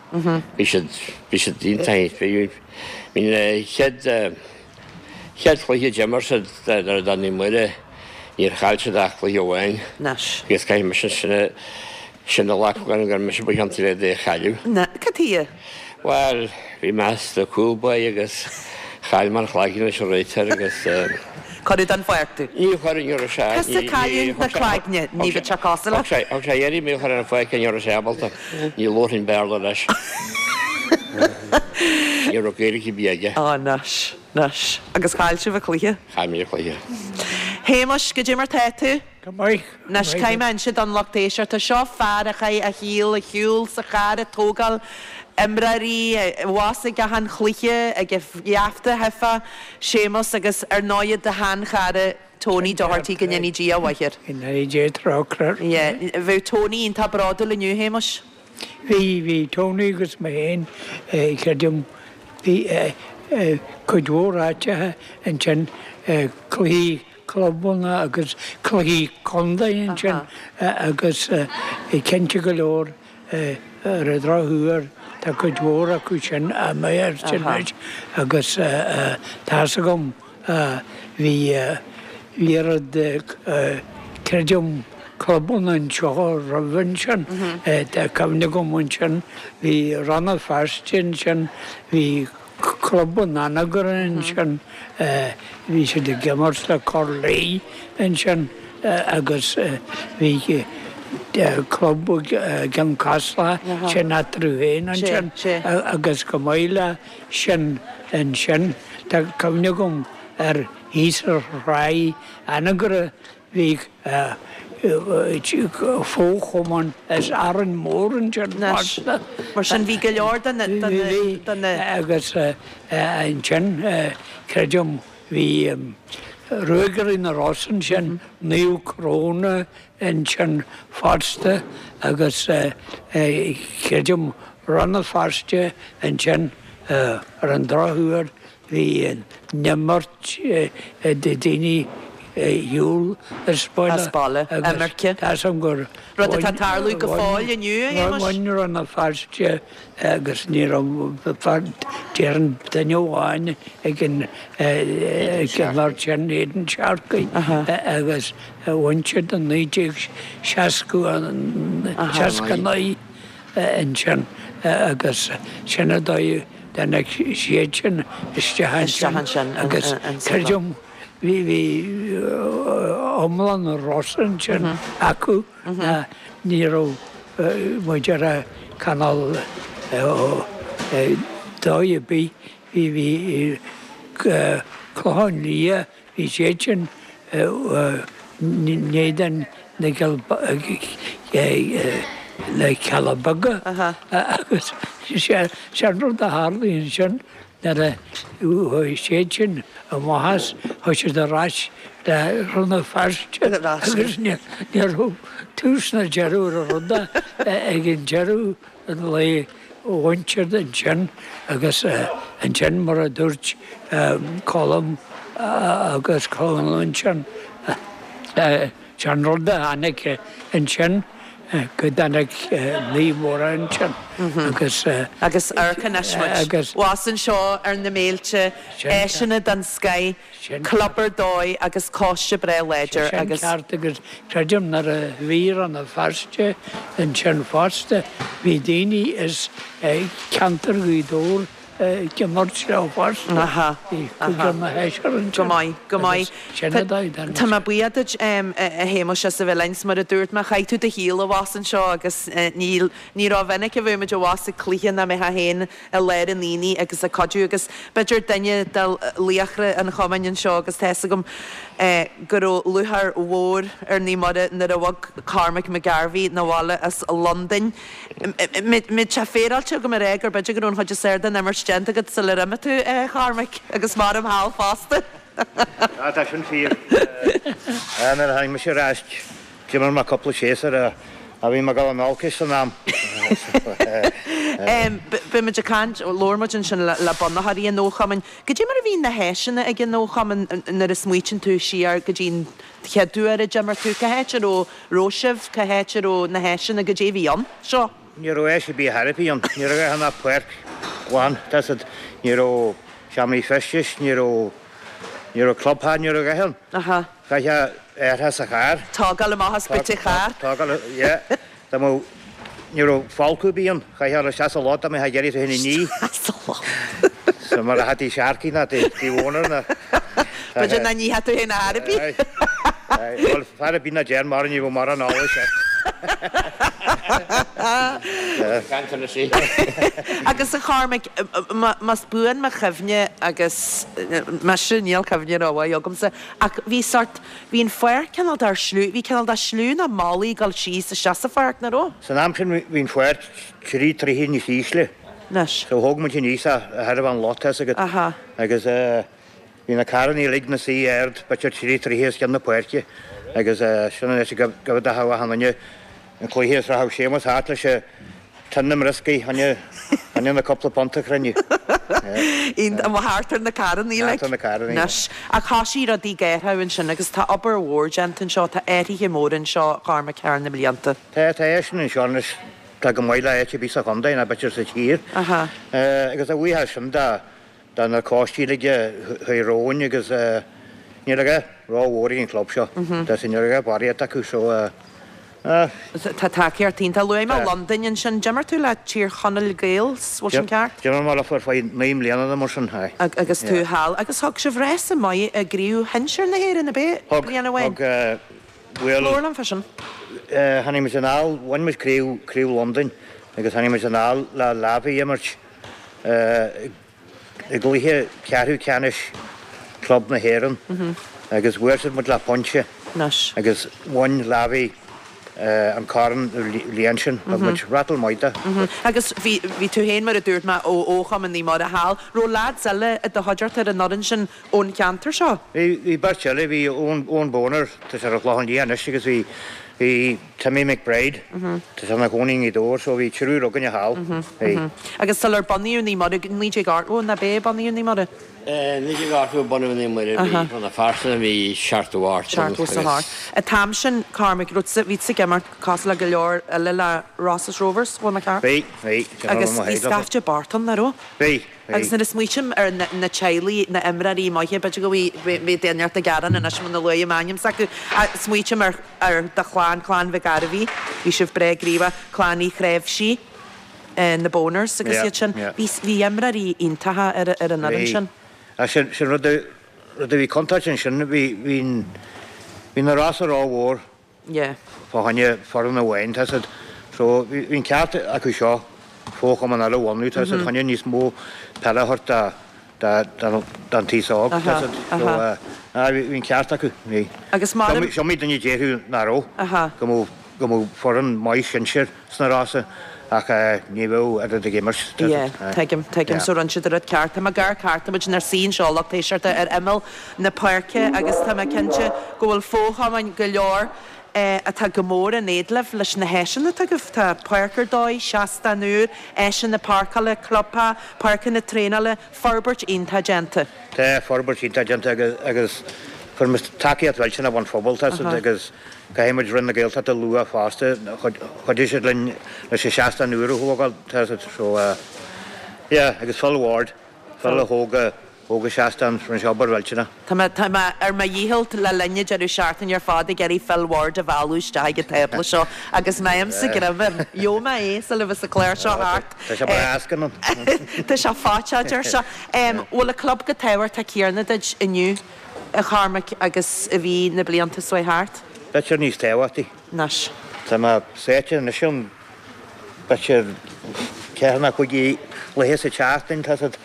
Bhí siad, bhí siad iontach. Bhí, bhí na chéad, Chéad chluiche a d'imir siad do Naomh Muire, níor chaill siad ach cluiche amháin. Anois. Agus caithfidh mise sin a sin a ghlacadh orm gur mise ba chiontaí le é a chailleadh. Na, cad chuige? Bhuel, bhí mé sa cúl báire agus chaill mé an cloigeann leis an réiteoir agus. Cuireadh den pháirc tú. Ní chuir, ní raibh sé. Tusa cailliúint na cloigne, ní bheadh sé cosúil leat. Thug sé iarraidh mé a chur ar an pháirc ní raibh sé ábalta. Ní labharfainn Béarla leis. Ní raibh Gaeilge ar bith aige. Á, anois, anois. Agus chaill sibh an cluiche? Chaill muid an cluiche. Shéamais, goidé mar tá tú? Go maith, go maith. Anois, caithfidh mé inse don lucht éisteachta, seo fear a chaith a shaol ag siúl sa charr ag tógáil imreoirí, abhus ag achan chluiche, ag an gheafta a theifeá, Séamus, agus ar ndóighe do sheanchara Tony Doherty, go ndéanaí Dia a mhaith air. Go ndéanaí Dia trócaire air. Yeah. Bheadh Tony iontach bródúil inniu, Shéamais. Bhí, bhí Tony agus mé féin, creidim, bhí cuid mhór áiteacha ansin, cluichí clubanna agus cluichí contae ansin agus cinnte go leor ar an drochuair tá cuid mhór acu sin imithe anois agus tá's agam Bhí oiread, creidim, clubanna anseo roimh ansin. Tá cuimhne agam ansin, bhí Rann na Feirste ansin, bhí Club an Anagaire ansin, bhí siad ag imirt le Corr Laoi ansin agus bhí. Club gCeann Caslach, sin eatarthu féin ansin agus chomh maith le sin ansin, tá cuimhne agam ar thíos ar Thráigh Anagaire bhí fo-chumann as Árainn Mhór ansin fosta. Mar sin bhí go leor de na. Bhí, agus ansin creidim bhí Ruagairí na Rosann ansin, Naomh Cróna ansin fosta agus creidim Rann na Feirste ansin ar an drochuair bhí an imirt daoine ar shiúl as baile agus tá 's agam gur Rud atá ag tarlú go fóill inniu, a Shéamais. Bhain Rann na Feirste agus ní raibh déarfainn duine amháin ag an imirt sin, Aidan Sharkey, agus bhain siad i 1969 ansin agus sin an dóigh a dtáinig siad sin isteach ansin agus creidim bhí iomlán na Rosann ansin acu ná ní raibh muid ar a cineál dóigh ar bith bhí bhí Clochán Liath bhí siad sin in éadan na le Cealla Beaga agus sé an rud a tharlaigh ansin Nuair a chuaigh siad sin amach as, chuaigh siad ar ais le Rann na Feirste agus ní raibh tús ná deireadh ar an rud ag an deireadh an lae bhain siad ansin agus ansin mar a dúirt Colm agus Conall ansin, Sé an rud a tháinig ansin go dtáinig Naomh Muire ansin agus. Agus amharc anois muid abhus anseo ar na mílte, áiseanna den scoith, club ar dóigh agus coiste breá láidir agus. Sin ceart agus creidim nuair a bhí Rann na Feirste ansin fosta bhí daoine as ceantar Ghaoth Dobhair ag imirt leo fosta. Aha. Bhí cúigear nó seisear ansin. Go maith, go maith. Sin an dóigh den. Tá mé buíoch duit, a Shéamuis, as a bheith linn. 'S mar a dúirt mé, chaith tú do shaol abhus anseo agus níl, ní rómhinic a bheidh muid abhus ag cluiche nach mbeifeá féin i lár an aonaigh agus ag cuidiú agus b'fhéidir duine de laochra an chumainn anseo agus tá fhios agam go raibh lúcháir mhór ar Naomh Muire nuair a bhog Cormac McGarvey 'na bhaile as Londain. Mbeadh sé féaráilte agam a rá gur b'fhéidir go raibh an chuid is fearr den imirt déanta agat sular imigh tú, a Chormaic, agus maram thall fosta. Ah, tá sin fíor. Nuair a tháinig mise ar ais, d'imir mé cúpla séasúr ach bhí mé ag dul in olcais san am. Bhí muid ag caint, labhair muid ansin le bunaitheoirí an fhochumainn. Goidé mar a bhí na háiseanna ag an fhochumann nuair a smaoitíonn tú siar go dtí an chéad uair a d'imir tú, cá háit a raibh raibh sibh, cá háit a raibh na háiseanna, goidé a bhí ann? Seo. Ní raibh áis ar bith ar bith ann, ní raibh ach an páirc ghlan, that's it. Ní raibh seomraí feistis, ní raibh, ní raibh clubtheach, ní raibh a dhath ann. Aha. Chaithfeá árthach sa charr. Tógáil amach as boot an chairr. Tógáil, yeah. Dá mbeadh, ní raibh folcadh ar bith ann, chaithfeá dul isteach sa loch dá mbeifeá ag iarraidh tú féin a ní. Isteach sa loch. So mar a thaití Sharkey ná Dee Warner ná. B'fhéidir nach nífeadh tú féin ar bith. Bhuel, fear ar bith ná deir mar ní bheadh mórán eolais air. Caint anois í. Agus a Chormaic, más buan mo chuimhne agus mise, níl cuimhne rómhaith agamsa, ach bhí sort, Bhí an pháirc cineál de shliabh, bhí cineál de shliabh nó malaí ag dul síos isteach sa pháirc, nach raibh? San am sin bhí an pháirc trí troithe níos ísle. Anois. So thóg muid aníos é, a thairbhe an lot, tá's agat. Aha. Agus bhí na carrannaí uilig 'na suí ard, b'fhéidir trí troithe os cionn na páirce. Agus sin an áit a gabhadh achan duine an cluiche is rachadh Séamus thart leis an tin na mbrioscaí, choinne na cúpla punt a chruinniú. Iontach, thart ar na carrannaí like. Thart ar na carrannaí. Anois, ach thosaigh rudaí ag athrú ansin agus tá obair mhór déanta anseo, tá athruithe móra anseo, a Chormaic, thar na blianta. Tá, tá áiseanna anseo anois, tá go maith le áit ar bith sa chontae ná b'fhéidir sa tír. Aha. Agus a bhuíochas sin do do na coistí uilig a chuaigh romhainn agus níl a dhath rómhór ag an chlub seo. Tá sin, níl a dhath barraíocht acu so eh. Tá tacaíocht iontach. Luaigh mé Londain ansin. D'imir tú le Tír Chonaill Gaels, bhfuil sin ceart? D'imir mé leofa ar feadh 9 mbliana nó mar sin, aye. Agus tú thall. Agus thug sibh rása maith i gcraobh shinsir na hÉireann, ab é? Thug, Bliain amháin. thug. Bhuel. Labhair liom fá sin. Tháinig muid anall, bhain muid craobh, craobh Londain agus tháinig muid anall le Lavey a imirt i gcluiche ceathrú ceannais club na hÉireann agus bhuail siad muid le pointe agus bhain Lavey an corn an bhliain sin. Thug muid rattle maith dó. Agus bhí, bhí tú féin mar a dúirt mé ó fhochumann Naomh Muire thall. Raibh lads eile i do chuideachta ar an fhoireann sin ón cheantar seo? Bhí, bhí beirt eile, bhí Eoin, Eoin Boner, tá sé ar an Chlochán Liath anois agus bhí, bhí Timmy McBride, tá sé ina chónaí i nGaoth Dobhair, so bhí triúr againne thall, bhí. Agus sular bunaíodh Naomh Muire, 1980 ná b'é a bunaíodh Naomh Muire? 1980 a bunaíodh Naomh Muire, bhí, bhuel na pearsanna bhí 78 ann agus. 78. An t-am sin, Cormac, raibh tusa, bhí tusa ag imirt cosúil le go leor eile le Rosses Rovers, bhfuil mé ceart? Bhí, bhí, Agus bhí scaifte bocht ann, nach raibh? Bhí. Agus nuair a smaoitím ar na teaghlaigh, na imreoirí maithe, b'fhéidir go mbeidh duine inteacht ag gearán anois muna luaim ainm s'acu, ach smaoitím ar ar do chlann, clann Mhic Gairbhí, bhí sibh breá gníomhach, clann Uí Chreimhsí, na Boners agus iad sin. Bhí bhí imreoirí iontacha ar ar an fhoireann sin. Bhí. Sin sin rud a rud a bhí contúirt ansin, bhí bhí bhí na Rossa rómhór. Yeah. Fá choinne foireann amháin, tá siad. So, bhí an ceart acu seo fo-chumann eile a bhunú, tá siad, choinne níos mó peile a thabhairt do don taos óg, tá siad. So, aye, bhí an ceart acu, bhí. Agus mar. Is iomaí duine a déarfadh nach raibh, go mbeadh, go mbeadh foireann maith sinsir sna Rosa ach ní bheadh oiread ag imirt. Yeah, tuigim, tuigim. So rinne siad an rud ceart. Tá mé ag amharc thart, tá muid inár suí anseo lucht éisteachta ar imeall na páirce agus tá mé cinnte go bhfuil fo-chumainn go leor atá go mór in éad libh leis na háiseanna atá agaibh. Tá páirc ar dóigh, seastán úr, áiseanna páirceála, clubtheach, páirceanna traenála, forbairt iontach déanta. Tá forbairt iontach déanta agus fuair muid tacaíocht mhillteanach ón phobal, tá siad agus caithfidh muid Roinn na Gaeltachta a lua fosta, chuidigh siad linn leis an seastán úr a thógáil, tá siad so yeah agus Phil Ward, Phil a thóg a thóg an seastán, rinne sé obair mhillteanach. Tá mé, tá mé ar mo dhícheall le linn an deireadh seachtaine ar fad ag iarraidh Phil Ward a mhealladh isteach ag an tábla seo agus má fhaighimse greim air, gheobhaidh mé é sula bheas an clár seo thart. Tá sé breá éasca ann. Tá sé faighte, a deir sé. Bhfuil an club chomh tábhachtach céanna duit inniu, a Chormaic, agus a bhí na blianta seo thart? B'fhéidir níos tábhachtaí. Anois. Tá mé sáite anois ann b'fhéidir ceathair nó cúig laethe sa tseachtain, tá siad.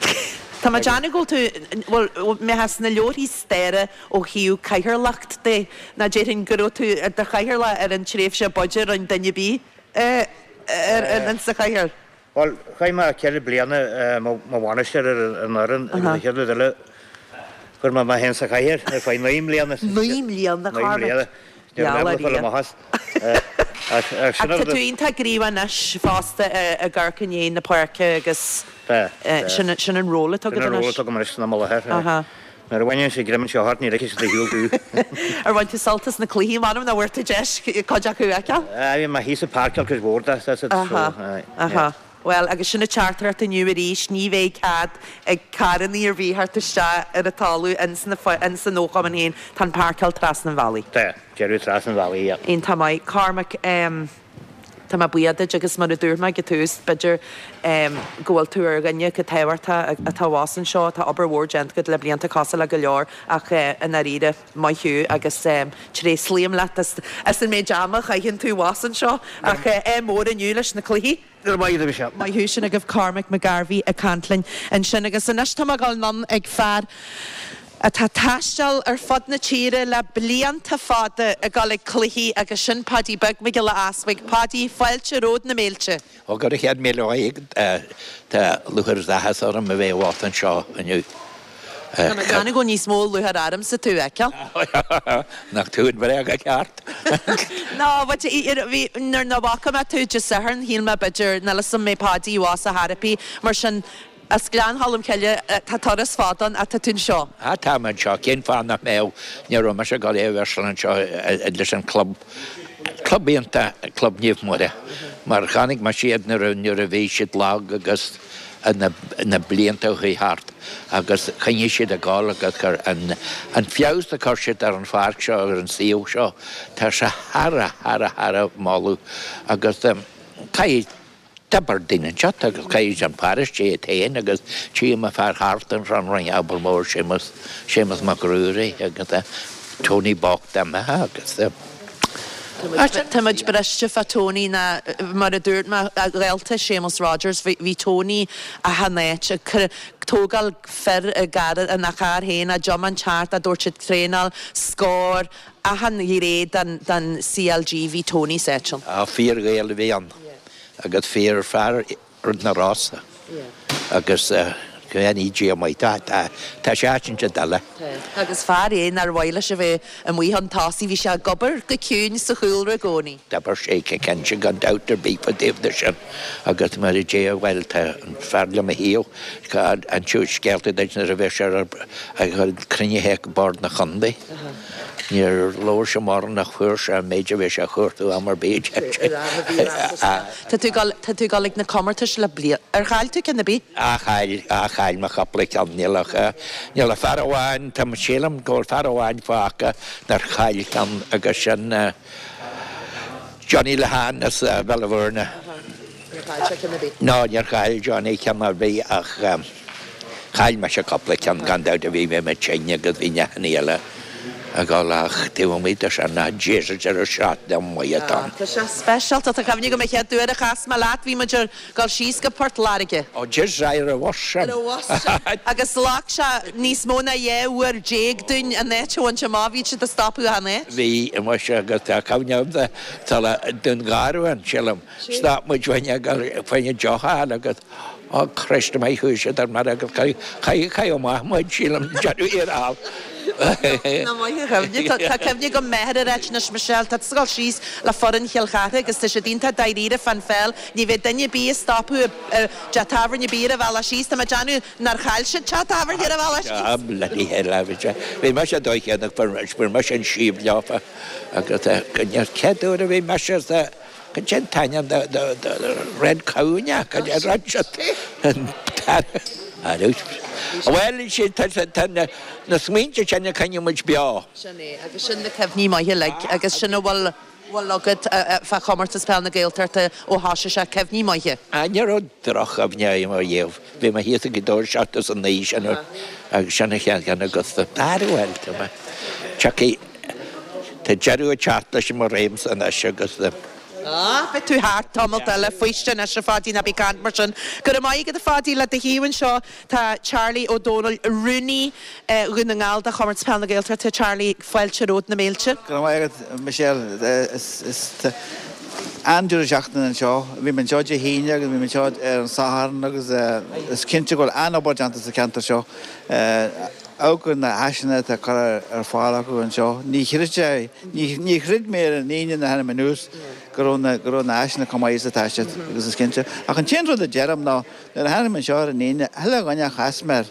Tá mé ag déanamh go bhfuil tú, bhuel, mbeifeá sna leabharthaí staire ó thaobh cathaoirleacht de, nó déarfainn go raibh tú i do chathaoirleach ar an tréimhse b'fhaide a rinne duine ar bith ar sa chathaoir. Bhuel, chaith mé ceithre bliana mar bhainisteoir ar an fhoireann agus an chéad rud eile, chuir mé mé féin sa chathaoir ar feadh naoi mbliana. Naoi mbliana, a Chormaic. Ní raibh mé ábalta fáil amach as. Ach tá tú iontach gníomhach anois fosta ag amharc i ndiaidh na páirce agus sin an ról atá agat anois. Sin an ról atá agam anois san am i láthair. Nuair a bhaineann siad greim anseo ort ní ligfidh siad ar shiúl thú. Ar bhain tú sult as na cluichí, m'anam nach bhfuair tú deis cuid acu a fheiceáil? Bhí mé thíos ag páirceáil cuid mhór de, so aye. Aha. Bhuel, agus sin an teachtaireacht inniu arís, ní bheidh cead ag carrannaí ar bith theacht isteach ar an talamh ins na, ins an fhochumann féin, tá an páirceáil trasna an bhealaigh. Tá, deireadh trasna an bhealaigh, yeah. Iontach maith. Cormac, em, tá mé buíoch duit agus mar a dúirt mé ag an tús, b'fhéidir, em, go bhfuil tú ar dhuine chomh tábhachtach atá abhus anseo, tá obair mhór déanta agat le blianta cosúil le go leor ach, eh, i ndáiríre, maith thú agus, em, tréaslaím leat as, as an méid ama a chaitheann tú abhus anseo ach, eh, ádh mór inniu leis na cluichí. Go raibh maith agat, a Mhichelle. Maith thú, sin agaibh Cormac Mac Gairbhí ag caint linn ansin. Agus anois tá mé ag dul anonn ag fear atá ag taisteal ar fud na tíre le blianta fada ag dul ag cluichí agus sin Paidí Beag Mac Giolla Easbuig. Paidí, fáilte romhat na mílte. Ó, go raibh chéad míle maith agat. Tá lúcháir is áthas orm a bheith abhus anseo inniu. Tá mé ag déanamh go bhfuil níos mó lúcháir ormsa tú a fheiceáil. Nach tú an bhréag ceart? No, but bhí, nuair nach bhfaca mé tú Dé Sathairn, shíl mé b'fhéidir, níl 'fhios a'm an mbeidh Páidí abhus ar chor ar bith, mar sin, as Gleann Cholm Cille, tá turas fada ann ach tá tú anseo. Ah, tá mé anseo, cén fáth nach mbeadh, ní raibh mise ag dul é a bheith anseo leis an club, club iontach, Club Naomh Muire, mar chonaic mise iad nuair a bhí siad lag agus, na blianta a chuaigh thart agus choinnigh siad ag gabháil agus chuir an an feabhas a chuir siad ar an pháirc seo, ar an suíomh seo, tá sé thar a, thar a, thar a moladh agus caithfidh, d'oibir daoine anseo agus caithfidh an pharóiste iad féin agus tchím an fear thart anseo an rinne obair mhór Séamus, Séamus Mac Ruairí agus Tony bocht imithe agus. Tá muid briste fá Tony ná mar a dúirt mé, a ghaolta Séamus Rodgers, bhí Tony achan áit, ag tógáil fir i gcarr, ina charr féin, á dtiomáint thart, á dtabhairt ag traenáil, scór, achan ghné den CLG, bhí Tony san áit ann. Fíor-Ghael a bhí ann agus fíor fear rud na Rosa agus go ndéana Dia maith dó, tá sé áit inteacht eile. Tá. Agus fear é nár mhaith leis a bheith amuigh chun tosaigh, bhí sé ag obair go ciúin sa chúlra i gcónaí. D'oibir sé go cinnte gan dabht ar bith fá dtaobh de sin agus mar a deir, bhuel tá an fear le mo thaobh, inseoidh scéalta duit nuair a bheadh sé ag dul cruinnithe ag Bord na Chontae. Níor labhair sé mórán ach fuair sé an méid a bhí sé a chuartú am ar bith. Tá tú ag tá tú ag dul ag na comórtais le bliain. Ar chaill tú ceann ar bith? Á chaill, á chaill mé cúpla ceann. Níl ach, níl ach fear amháin, tá, sílim go bhfuil fear amháin fágtha nár chaill ceann agus sin Johnny Lehane as Béal an Mhúrna. Níor chaill sé ceann ar bith? No, níor chaill Johnny ceann ar bith ach chaill mise cúpla ceann gan dabht a bhí mé tinn agus bhí neachannaí eile ag dul ach taobh amuigh de sin ná Jesus deireadh seachtaine maith atá ann. Tá sé speisialta. Tá cuimhne agam an chéad uair a chas mé leat bhí muid ar dhul síos go Port Láirge. Ó Jesus aye ar an bhus sin. Ar an bhus sin. Agus ghlac sé níos mó ná 12 uair dúinn an áit a bhaint amach. Bhí siad ag stopadh achan áit. Bhí, muise agus tá cuimhne agamsa sula Dún Garbhán sílim. Stop muid fá choinne deoch a fháil agus oh Christ maith chuaigh siad ar mire agus caitheadh amach muid sílim deireadh thiar thall. Nach maith an chuimhne. Tá cuimhne agam m'athair ag ráit anois Michelle tá tusa ag dul síos le foireann Chill Chartha agus tá siad iontach dáiríre fán pheil ní bheidh duine ar bith ag stopadh i dteach tábhairne ar bith ar an bhealach síos tá mé ag déanamh nár chaill siad teach tábhairne ar an bhealach síos. Ah bloody hell ah bhí sé bhí mise dóigh chéanna fuair mise an síob leofa agus an chéad uair a bhí mise sa Cad é an t-ainm de Red Cow ná cad é raibh siad Bhuel sin tá na smaointe sin a choinneoidh muid beo. Sin é, agus sin na cuimhní maithe uilig agus sin a bhfuil bhfuil agat fá Chomórtas Peil na Gaeltachta ó thosaigh sé, cuimhní maithe. Ah ní raibh droch-chuimhne agam ariamh. Bhí mé thíos ag Gaoth Dobhair 79 sin agus sin an chéad cheann agus bhuel tá mé tiocfaidh Tá deireadh ag teacht leis mo réimse anois agus. Ah, beidh tú thart tamalt eile, faoistin anois a Pháidí, ná bí ag caint mar sin. Go raibh maith agat a Pháidí, le do thaobh anseo tá Charlie Ó Dónaill, Rúnaí Dhún na nGall do Chomórtas Peil na Gaeltachta. Charlie, fáilte romhat na mílte. Go raibh maith agat Michelle. Is an-deireadh seachtaine anseo. Bhí mé anseo Dé hAoine agus bhí mé anseo ar an Satharn agus is cinnte go bhfuil an-obair déanta sa cheantar seo. Amharc ar na háiseanna atá curtha ar fáil acu anseo. Ní chreid, ní chreid mé ar an Aoine nuair a tháinig mé anuas go raibh na, go raibh na háiseanna chomh maith is atá siad agus is cinnte. Ach an t-aon rud a deirim ná nuair a tháinig mé anseo ar an Aoine, chuile dhuine a chas mé air,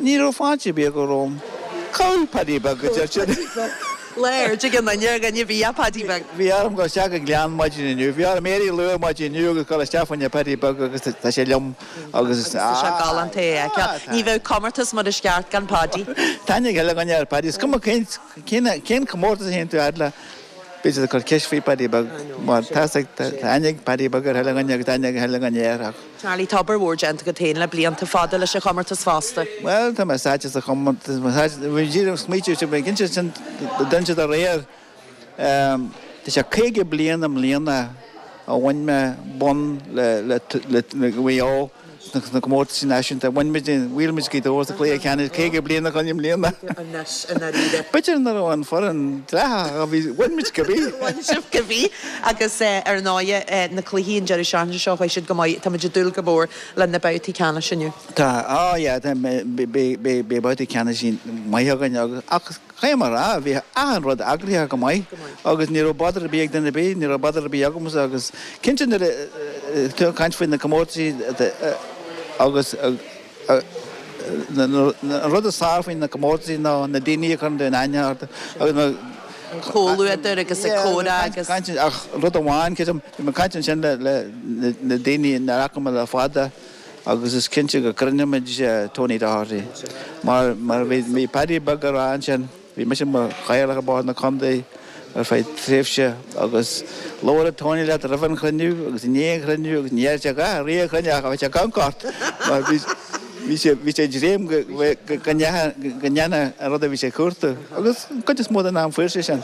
ní raibh fáilte ar bith acu romham. Cá bhfuil Paddy Beag a deir siad. Lá aird ag an duine ar dhuine a bhí a Paddy Beag. Bhí orm dul isteach go Gleann maidin inniu. Bhí orm éirí luath maidin inniu agus dul isteach fá choinne Paddy Beag agus tá sé liom. Agus tá sé galánta é a fheiceáil. Ní bheadh comórtas mar is ceart gan Paddy. Tá aithne ag chuile dhuine ar Paddy. Is cuma cén cén comórtas a théann tú fhad le, beidh siad ag cur ceist faoi Paddy Beag mar tá aithne ag Paddy Beag ar chuile dhuine agus tá aithne ag chuile dhuine air. Ach. Charlie, tá obair mhór déanta agat féin le blianta fada leis an chomórtas fosta. Bhuel, tá mé sáite sa chomórtas, bhí díreach smaoitiú, bhí cinnte sin, dúirt siad aréir. Tá sé 50 bliain i mbliana ó bhain mé bonn le Maigh Eo sna comórtaisí náisiúnta. Bhain muid, bhuail muid Gaoth Dobhair sa chluiche ceannais 50 bliain ó shin i mbliana. Anois, i ndáiríre. B'fhéidir nach raibh an foireann dleathach ach bhí, bhain muid cibé. Bhain sibh cibé agus ar ndóighe na cluichí an deireadh seachtaine seo chuaigh siad go maith. Tá muid ag dúil go mór le na babhtaí ceannais inniu. Tá, oh yeah, beidh babhtaí ceannais maith againn agus ach Caithfidh mé a rá, bhí achan rud eagraithe go maith agus ní raibh bother ar bith ag duine ar bith, ní raibh bother ar bith agamsa agus cinnte nuair a tú ag caint faoi na comórtaisí agus an rud is fearr faoi na comórtaisí ná na daoine a chuireann tú in aithne orthu agus na An comhluadar agus ag comhrá agus. Ach rud amháin, creidim, bhí mé ag caint ansin le na daoine nár fhaca mé le fada, agus is cinnte go gcruinneoimid Tony Doherty mar mar bhí bhí Paddy Beag ag rá ansin, bhí mise i mo chathaoirleach ar Bhord na Contae ar feadh tréimhse agus labhradh Tony leat roimh an chruinniú agus i ndiaidh an chruinniú agus ní dhearna sé a dhath i rith an chruinnithe ach bhí sé ag amharc ort mar bhí. Bhí sé, bhí sé ag dréim go, go, go ndéanfadh an rud a bhí sé ag cuartú agus an chuid is mó den am fuair sé sin.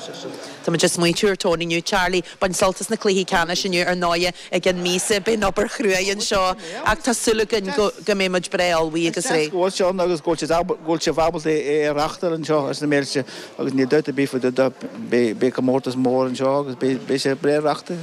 Tá muid ag smaointiú ar Tony inniu. Charlie, bain sult as na cluichí ceannais inniu ar ndóighe i gceann míosa. Beidh an obair chruaidh anseo ach tá súil againn go go mbeidh muid breá ullmhaithe agus réidh. Is deas go bhfuil sé ann agus go bhfuil sibh ábalta é a reáchtáil anseo ar na Méilte agus níl dabht ar bith faoi deara beidh comórtas mór anseo agus beidh sé breá reáchtáilte.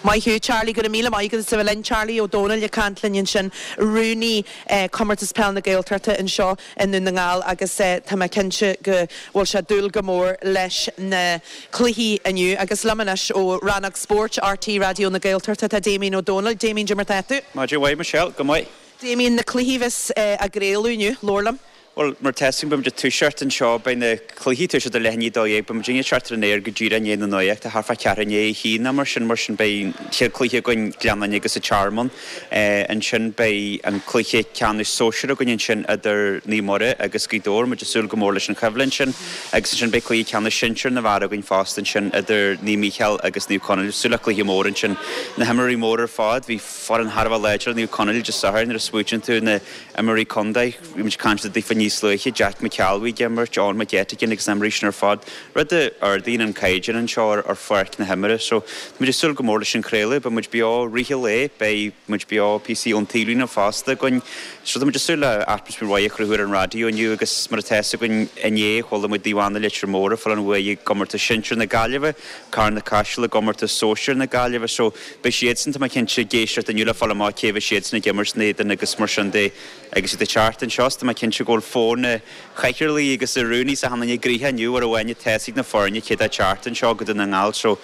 Maith thú Charlie, go raibh míle maith agat as a bheith linn. Charlie Ó Dónaill ag caint linn ansin, rúnaí Comórtas Peil na Gaeltachta anseo i nDún na nGall agus tá mé cinnte go bhfuil sé ag dúil go mór leis na cluichí inniu. Agus liom anois ó Rannóg Spóirt RTÉ Raidió na Gaeltachta tá Damien Ó Dónaill. Damien, cad é mar tá tú? Maidin mhaith Michelle, go maith. Damien, na cluichí a bheas á gcraoladh inniu, labhair liom. Bhuel, mar atá 'fhios againn, beidh muid ag toiseacht anseo, beidh na cluichí ag toiseacht ar leath i ndiaidh a 12, beidh muid ag teacht ar an aer go díreach i ndiaidh na nuachta, thart fá cheathrú i ndiaidh a haon nó mar sin, mar sin beidh an chéad chluiche againn, Gleann Fhinne agus an Tearmann. Ansin beidh an cluiche ceannais sóisir againn ansin idir Naomh Muire agus Gaoth Dobhair, muid ag súil go mór leis an choimhlint sin. Agus ansin beidh cluiche ceannais sinsir na bhfear againn fosta ansin idir Naomh Mícheál agus Naomh Conaill, súil le cluiche mór ansin. Na himreoirí móra ar fad, bhí foireann thar a bheith láidir ag Naomh Conaill Dé Sathairn nuair a smaoitíonn tú na imreoirí contae. Bhí muid ag caint daofa níos luaithe, Jack McCalvy ag imirt, Eoin McGettigan agus na himreoirí sin ar fad, rud a ardaíonn an caighdeán anseo ar pháirc na himeartha. So, tá muid ag súil go mór leis an chraoladh, beidh muid beo i rith an lae, beidh muid beo píosaí ón taobhlíne fosta againn. So, tá muid ag súil le atmaisféar mhaith a chruthú ar an raidió inniu agus mar atá 'fhios againn inné, chuala muid Naomh Anna Leitir Móir ag fáil an bhuaidh i gcomórtas sinsir na Gaillimhe, Carna-Caiseal i gcomórtas sóisir na Gaillimhe. So, beidh siadsan, tá mé cinnte, ag éisteacht inniu le fáil amach cé bheidh siadsan ag imirt ina éadan agus mar sin de. Agus iad ag teacht anseo, tá mé cinnte go bhfuil foirne chathaoirligh agus a rúnaí is achan duine gnoitheach inniu mar amháin tá 'fhios ag na foirne cé atá ag teacht anseo go Dún na nGall. So,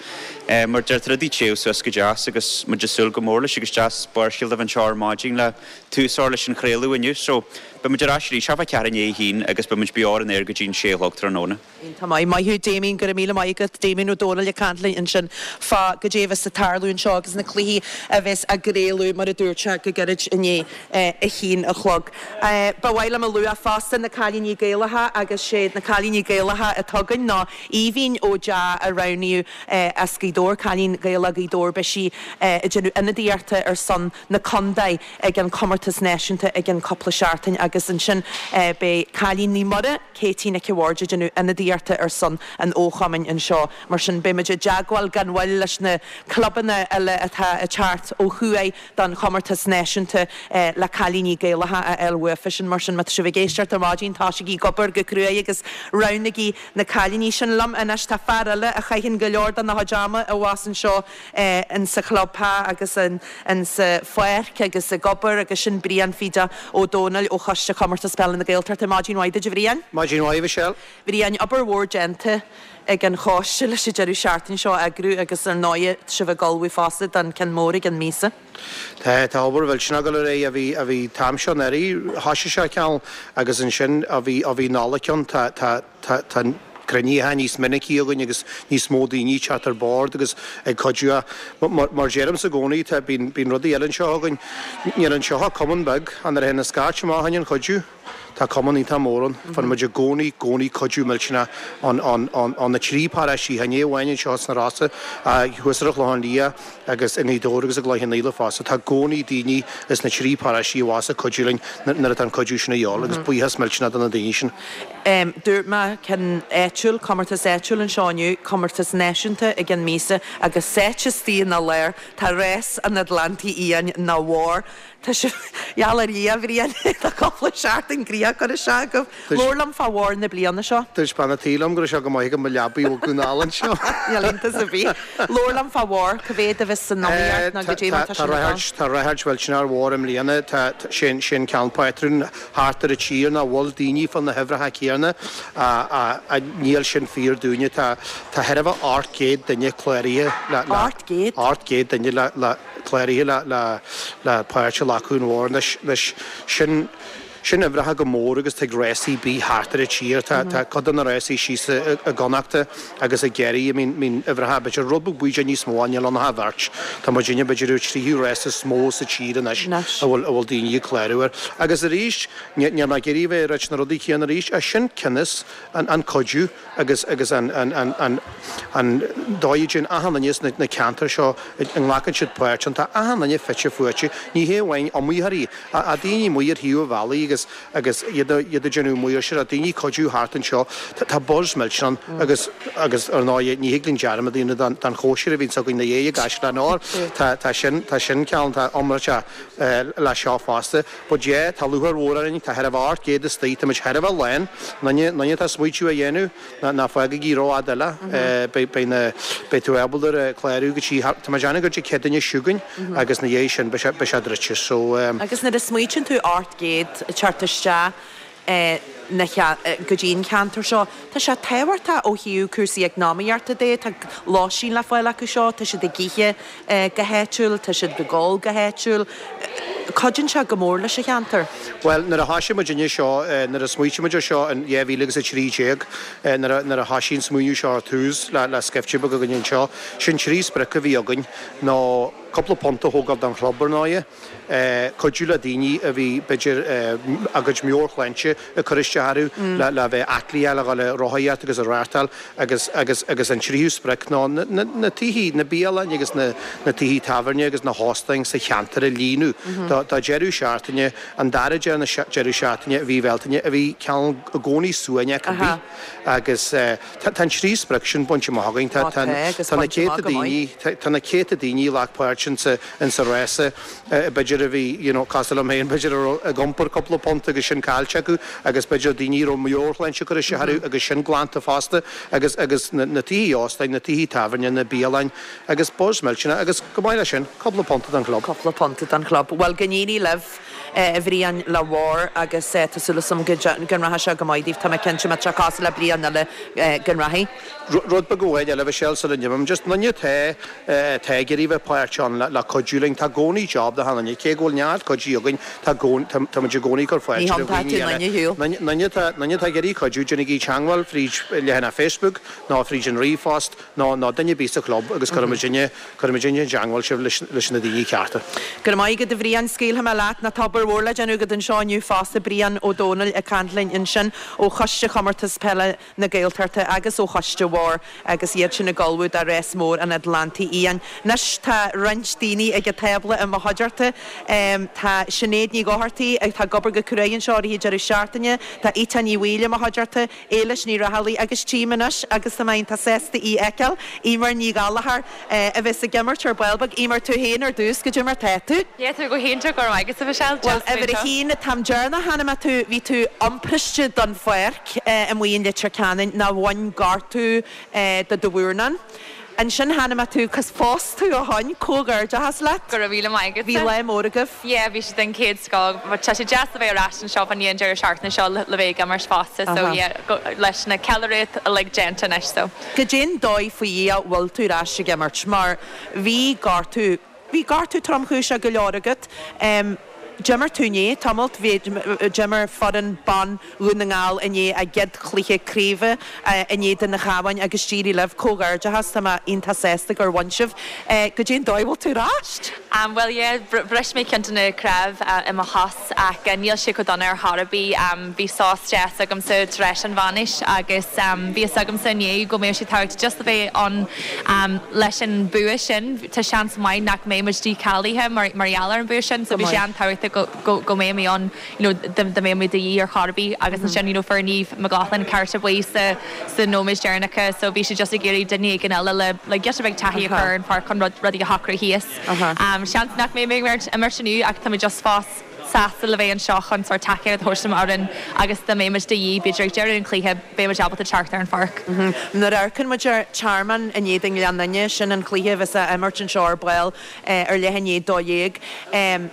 mar deir rudaí ag téamh suas go deas agus muid ag súil go mór leis agus deas Barrscéal a bheith anseo ar maidin le tús a chur leis an chraoladh inniu. So, beidh muid ar ais arís, thart fá ceathrú i ndiaidh a haon agus beidh muid beo ar an aer go dtí an sé a chlog tráthnóna. Iontach maith. Maith thú Damien, go raibh míle maith agat. Damien Ó Dónaill ag caint linn ansin fá goidé a bheas ag tarlú anseo agus na cluichí a bheas á gcraoladh mar a dúirt sé go gairid i ndiaidh a haon a chlog. Ba mhaith liom a lua fosta na Cailíní Gaelacha agus sé na Cailíní Gaelacha atá againn ná Aoibhín Ó Deá a roghnaíodh as Gaoth Dobhair, cailín Gaelach Ghaoth Dobhair, beidh sí ag déanamh ionadaíochta ar son na contae ag an chomórtas náisiúnta i gceann cúpla seachtain agus ansin beidh cailín Naomh Muire, Katie Nic a' Bhaird ag déanamh ionadaíochta ar son an fhochumainn anseo. Mar sin, beidh muid i dteagmháil gan mhoill leis na clubanna eile atá ag teacht ó thuaidh don chomórtas náisiúnta le cailíní Gaelacha a fháil uafa sin. Mar sin, má tá sibh ag éisteacht ar maidin, tosaígí ag obair go cruaidh agus roghnaígí na cailíní sin. Liom anois tá fear eile a chaitheann go leor dena chuid ama abhus anseo in sa chlubtheach agus in sa pháirc agus ag obair agus sin Brian Phíde Ó Dónaill ó Choiste Chomórtas Peile na Gaeltachta. Maidin mhaith duit a Bhriain. Maidin mhaith a Mhichelle. Bhriain, obair mhór déanta ag an choiste leis an deireadh seachtaine seo a eagrú agus ar ndóighe tá sibh ag ullmhú fosta don ceann mór i gceann míosa. Tá, tá obair mhillteanach ag dul ar aghaidh ó bhí, ó bhí an t-am seo anuraidh, thoisigh sé cineál agus ansin ó bhí, ó bhí Nollaig ann tá, tá, tá, tá cruinnithe níos minicí againn agus níos mó daoine ag teacht ar bord agus ag cuidiú. Mar, mar deirimse i gcónaí, tá, bíonn, bíonn rudaí eile anseo againn. Níl anseo ach cumann beag, ach nuair a théann an scairt amach fá choinne an chuidiú, tá cumann iontach mór ann. Faigheann muid i gcónaí, gcónaí cuidiú millteanach ón, ón, ón, ó na trí paráistí, ní amháin anseo sna Rosa, thuas ar an Chlochán Liath agus i nGaoth Dobhair agus i gCloich Cheann Fhaola fosta. Tá i gcónaí daoine is na trí paráistí abhus ag cuidiú linn nuair atá an cuidiú sin a dhíobháil agus buíochas millteanach do na daoine sin. Dúirt mé ceann áitiúil, comórtas áitiúil anseo inniu, comórtas náisiúnta i gceann míosa agus sáite istigh ina lár tá rás an Atlantaigh Fhiáin nó Mhóir. Tá sibh, gheall ar Dhia, a Bhriain, tá cúpla seachtain gnoitheach curtha isteach agaibh. Labhair liom fá Mhór na bliana seo. Dúirt bean a' tí liom go raibh sé go maith agam mo leabaidh a bhogadh anall anseo. Níl iontas ar bith. Labhair liom fá Mhór, cá mhéad a bheas san iomaíocht nó goidé mar tá sin ag dul? Tá ráchairt mhillteanach ar Mhór i mbliana. Tá, sé an ceann pátrún thart ar an tír nach bhfuil daoine fá na huimhreacha céanna ach níl sin fíor dúinne. Tá tá chóir a bheith 800 duine cláraithe le le 800? 800 duine le le cláraithe le le le páirt a ghlacadh in Mhór. Anois anois sin sin uimhreacha go mór agus tig rásaí bith thart ar an tír. Tá tá cuid de na rásaí síos i i gConnachta agus i gCiarraí a mbíonn mbíonn uimhreacha b'fhéidir rud beag bídeach níos mó ach níl ann ach an bheirt. Tá muidinne b'fhéidir ar tríú rás is mó sa tír anois a bhfuil a bhfuil daoine ag clárú air. Agus arís níl mé ag iarraidh a bheith ag ráit na rudaí céanna arís ach sin cionn is an an cuidiú agus agus an an an an an dóigh a dtéann achan duine sna na ceantair seo a nglacann siad páirt ann. Tá achan duine fite fuaite, ní hé amháin iomaitheoirí, ach daoine amuigh ar thaobh an bhealaigh agus. agus agus iad iad ag déanamh maoirseacht, daoine ag cuidiú thart anseo. Tá buzz millteanach ann agus agus ar ndóigh ní thig linn dearmad a dhéanamh den den chóisir a bhíonns againn ina dhiaidh i gCaisleán Óir. Tá tá sin tá sin ceann tá iomráiteach leis seo fosta. But yeah, tá lúcháir mhór orainn, tá chóir a bheith 800 istigh, tá muid chóir a bheith lán, aon duine atá ag smaoitiú a dhéanamh, ná fágaigí rófhada eile, beidh na, beidh tú ábalta ar clárú go dtí, tá mé ag déanamh gur dtí 100 duine chugainn agus na dhiaidh sin beidh sé, beidh sé druidte. So. Agus nuair a smaoitíonn tú 800 ag teacht isteach na, go dtí an ceantar seo, tá sé tábhachtach ó thaobh cúrsaí eacnamaíochta de, tá lóistín le fáil acu seo, tá siad ag ithe go háitiúil, tá siad ag ól go háitiúil. Cuidíonn sé go mór leis an cheantar. Bhuel, nuair a thoisigh muidinne seo, nuair a smaoitigh muid ar seo in 2013, nuair a, nuair a thoisigh an smaoineamh seo ar tús le, le scaifte beag againn anseo, sin trí sprioc a bhí againn ná cúpla punt a thógáil don chlub, ar ndóighe, cuidiú le daoine a bhí, b'fhéidir, a gcuid meabhairshláinte ag cur isteach orthu, le, le bheith aclaí, le dhul ag rothaíocht agus ag rachtáil agus, agus, agus an tríú sprioc ná na, na, na tithe, na bialanna agus na, na tithe tábhairne agus na hóstáin sa cheantar a líonadh do, do deireadh seachtaine, an dara deireadh seachtaine i mhí Bhealtaine a bhí cineál i gcónaí suaimhneach ar bith agus tá, tá an trí sprioc sin bainte amach againn. Tá, tá, tá na céadta daoine, tá na céadta daoine a ghlac páirt insa, insa rása, b'fhéidir a bhí, you know, cosúil liom féin, b'fhéidir a raibh ag iompar cúpla punt agus sin caillte acu agus b'fhéidir daoine a raibh meabhairshláinte ag cur isteach orthu agus sin glanta fosta agus, agus na, na tithe óstáin, na tithe tábhairne, na bialanna agus buzz millteanach agus chomh maith leis sin, cúpla punt don chlub. Cúpla punt don chlub. Bhuel, go n-éirí libh, a Bhriain, le Bharr agus tá súil agam go rachaidh sé go maith daoibh. Tá mé cinnte, má tá sé cosúil le bliain eile, go rachaidh. Rud beag amháin eile, a Mhichelle, sula n-imím, just aon duine atá, atá ag iarraidh bheith páirteach ann le, le cuidiú linn, tá i gcónaí job do achan duine, cé go bhfuil neart cuidithe againn, tá i gcónaí, tá, tá muid i gcónaí ag cur fáilte roimh dhaoine eile. Aon duine atá, aon duine atá ag iarraidh cuidiú, déanaigí teangmháil fríd leathanach Facebook nó fríd an ríomhphost nó, nó duine ar bith sa chlub agus cuirfidh muidinne, cuirfidh muidinne i dteangmháil sibh leis, leis na daoine cearta. Go raibh maith agat a Bhriain, scaoilfidh mé leat, nó tá obair mhór le déanamh agat anseo inniu fosta, Brian Ó Dónaill ag caint linn ansin ó Choiste Chomórtas Peile na Gaeltachta agus ó Choiste Bharr agus iad sin ag ullmhú do Rás Mór an Atlantaigh Fhiáin. Anois tá roinnt daoine ag an tábla i mo chuideachta. Tá Sinéad Ní Dhochartaigh atá ag obair go cruaidh anseo i rith an deireadh seachtaine, tá Ita Ní Bhaoill i mo chuideachta, Éilis Ní Raghallaigh agus tchím anois agus tá mé iontach sásta í a fheiceáil, Eimear Ní Ghallchóir a bheas ag imirt ar ball beag. Eimear, tú féin ar dtús, goidé mar tá tú? Yeah, tá mé go hiontach, go raibh maith agat, a Mhichelle. Bhuel, uimhir a haon, an t-am deireanach a chonaic mé tú, bhí tú iompairste don pháirc amuigh in Leitir Ceanainn nó bhain gortú de do mhúrnán. Ansin chonaic mé tú, 'cause phós tú ó shoin, comhghairdeachas leat. Go raibh míle maith agat. Bhí lá mór agaibh. Yeah, bhí sé den chéad scoth. But tá sé deas a bheith ar ais anseo fá choinne an deireadh seachtaine seo le bheith ag imirt fosta so yeah, leis na ceiliúradh uilig déanta anois so. Goidé'n dóigh faoi Dhia a bhfuil tú ar ais ag imirt mar bhí gortú, bhí gortú tromchúiseach go leor agat. D'imir tú inné tamalt, bhí, d'imir foireann ban Dhún na nGall inné a gcéad chluiche craoibhe in éadan an Chabháin agus d'éirigh libh. Comhghairdeachas, tá mé iontach sásta gur bhain sibh. Goidé'n dóigh a bhfuil tú ar ais? Bhuel yeah, bhris mé ceann de na cnámh i mo chos ach níl sé chomh dona ar chor ar bith. Bhí sos deas agamsa tar éis an bhainis agus bhí fhios agamsa inné go mbeadh sé tábhachtach just a bheith ann leis an bua sin. Tá seans maith nach mbeidh muid dícháilithe mar gheall ar an bua sin so bhí sé an-tábhachtach go mbeadh mé ann you know dá mbeadh mé de dhíth ar chor ar bith agus ansin you know fuair Niamh McLaughlin cárta buí sa sa nóiméad deireanacha so bhí sé just ag iarraidh duine éigin eile le le giota beag taithí a chur ar an pháirc chun rud rudaí a shocrú thíos. Seans nach mbeidh mé ag imirt inniu ach tá mé just fós sásta le bheith anseo chun sórt tacaíocht a thabhairt do m'fhoireann agus dá mbeidh muid de dhíth b'fhéidir ag deireadh an chluiche beidh muid ábalta teacht ar an pháirc. Nuair a amharcann muid ar Tearmann in éadan Ghleann Fhinne, sin an cluiche a bheas á imirt anseo ar ball ar leath i ndiaidh 12.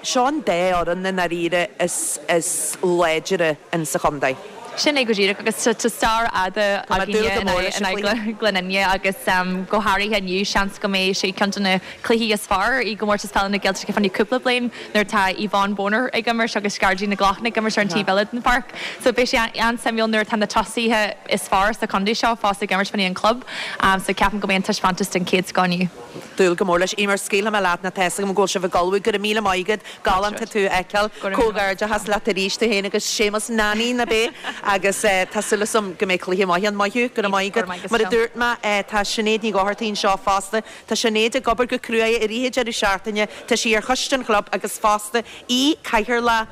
Seo an dá fhoireann i ndáiríre is láidre in sa chontae. Sin é go díreach agus tá stair fhada againne in aghaidh Ghleann Fhinne agus go háirithe inniu seans go mbeidh sé ceann de na cluichí is fearr i gComórtas Peile na Gaeltachta fá choinne cúpla bliain nuair atá Yvonne Bonner ag imirt agus Gearóidín Nic Lochlainn ag imirt ar an taobh eile den pháirc. So beidh sé an-suimiúil nuair atá na tosaithe is fearr sa chontae seo fós ag imirt fá choinne an club. So ceapaim go mbeidh an taispeántas den chéad scoth inniu. Dúil go mór leis. Eimear, scaoilfidh mé leat nó tá fhios agam go bhfuil sibh ag ullmhú. Go raibh míle maith agat. Galánta tú a fheiceáil. Comhghairdeachas leat arís, tú féin agus Séamus Nanny, ná b'é? Agus tá súil agam go mbeidh cluiche maith ann. Maith thú. Go raibh maith agat. Mar a dúirt mé, tá Sinéad Ní Dhochartaigh anseo fosta. Tá Sinéad ag obair go cruaidh i rith an deireadh seachtaine. Tá sí ar choiste an chlub agus fosta í cathaoirleach.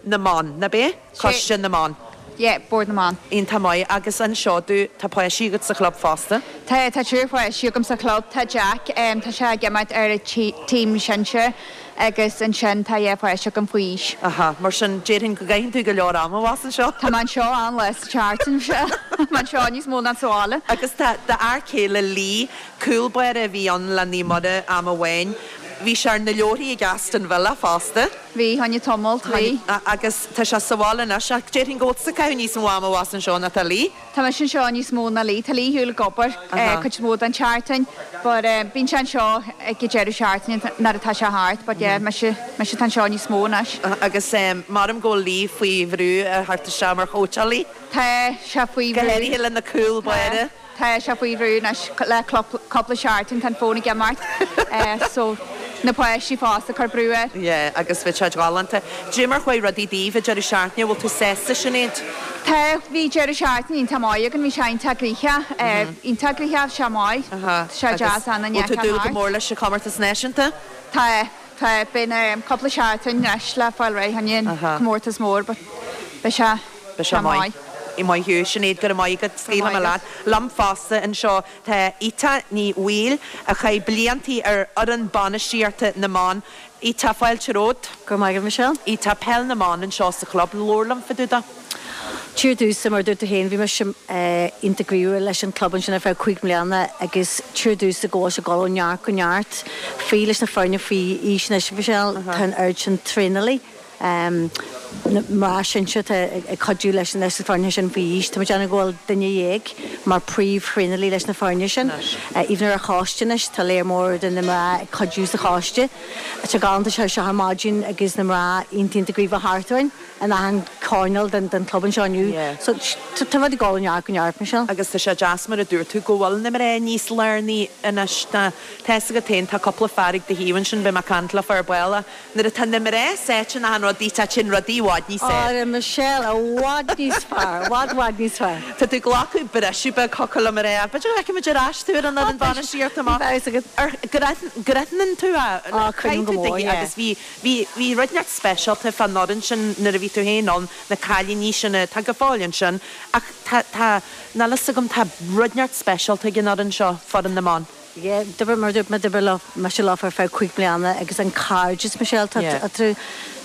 na mBan, ná b'é? Coiste na mBan. Yeah, Bord na mBan. Iontach maith. Agus anseo tú, tá páistí agat sa chlub fosta? Tá, tá triúr páistí agam sa chlub. Tá Jack, tá sé ag imirt ar an team sinsir agus ansin tá dhá pháiste agam faoi aois. Aha, mar sin déarfainn go gcaitheann tú go leor ama abhus anseo. Tá mé anseo an-lá sa tseachtain, tá mé anseo níos mó ná sa bhaile. Agus tá d'fhear céile Lee, cúl báire a bhí ann le Naomh Muire am amháin, bhí sé ar na leabharthaí ag Aston Villa fosta. Bhí, fá choinne tamalt, bhí. Agus tá sé sa bhaile anois, ach déarfainn go bhfuil tusa ag caitheamh níos mó ama abhus anseo ná tá Lee. Tá mise anseo níos mó ná Lee. Tá Lee ar shiúl ag obair cuid mhór den tseachtain, but bíonn sé anseo ag an deireadh seachtaine nuair atá sé thart, but yeah, mise, mise atá anseo níos mó anois. Agus measaim go bhfuil Lee faoi bhrú a theacht isteach mar chóitseálaí. Tá sé faoi bhrú. Go háirithe le na cúl báire. Tá sé faoi bhrú anois le cúpla seachtain, tá an fón ag imeacht so na páistí fosta ag cur brú air. Yeah, agus bhí sé galánta. Dé mar chuaigh rudaí daoibh ag deireadh seachtaine, bhfuil tú sásta Sinéad? Tá, bhí deireadh seachtaine iontach maith againn, bhí sé iontach gnoitheach, iontach gnoitheach, bhí sé maith, tá sé deas an Bhfuil tú ag dúil go mór leis an chomórtas náisiúnta? Tá, tá, beidh na cúpla seachtain anois le fáil réidh fá choinne an comórtas mór but beidh sé. Beidh sé maith. Maith thú, Sinéad, go raibh maith agat. Scaoilfidh mé leat. Liom fosta anseo tá Ita Ní Bhaoill, a chaith bliantaí ar fhoireann bainistíochta na mban. Ita, fáilte romhat. Go raibh maith agat, Michelle. Ita, peil na mban anseo sa chlub. Labhair liom fá dtaobh de. Ar dtús, mar a dúirt tú féin, bhí mise iontach gníomhach leis an club ansin ar feadh 5 mbliana agus ar dtús go bhfuil sé ag dul ó neart go neart. Faoi leis na foirne faoi aois anois, Michelle, tá an oiread sin traenálaí. Na mná sinsir atá ag cuidiú leis na foirne sin faoi aois. Tá muid ag déanamh go bhfuil duine dhéag mar príomh-thraenálaí leis na foirne sin. Even ar an choiste anois, tá léar mór de na mná ag cuidiú sa choiste. Tá sé galánta seo ar maidin agus na mná iontach iontach gníomhach thart orainn in achan choirneál den club anseo inniu. So tá rudaí ag dul ó neart go neart, Michelle. Agus tá sé deas mar a dúirt tú go bhfuil na mná níos lárnaí anois. Tá fhios agat féin, tá cúpla fear ag do thaobh ansin, beidh mé ag caint leofa ar ball. Nuair atá na mná sáite in achan rud, téann rudaí i bhfad níos fearr. Ó, Michelle, i bhfad níos fearr, i bhfad, bhfad níos fearr. Tá tú ag glacadh briseadh beag thiocfadh liom a rá. B'fhéidir go bhfeicfidh muid ar ais tú ar an fhoireann bainistíochta amach. Bhí fhios agat. Ar, go aithníonn tú é. Ó, cuimhním go mór, yeah. Agus bhí, bhí, bhí rud inteacht speisialta fán fhoireann sin nuair a bhí tú féin ann, na cailíní sin atá go fóill ansin. Ach tá, tá, níl fhios agam, tá rud inteacht speisialta ag an fhoireann seo, foireann na mban. Yeah, d'oibrigh, mar a dúirt mé, d'oibrigh leo, mise leo ar feadh 5 mbliana agus an cairdeas, Michelle, tá, Yeah. tá,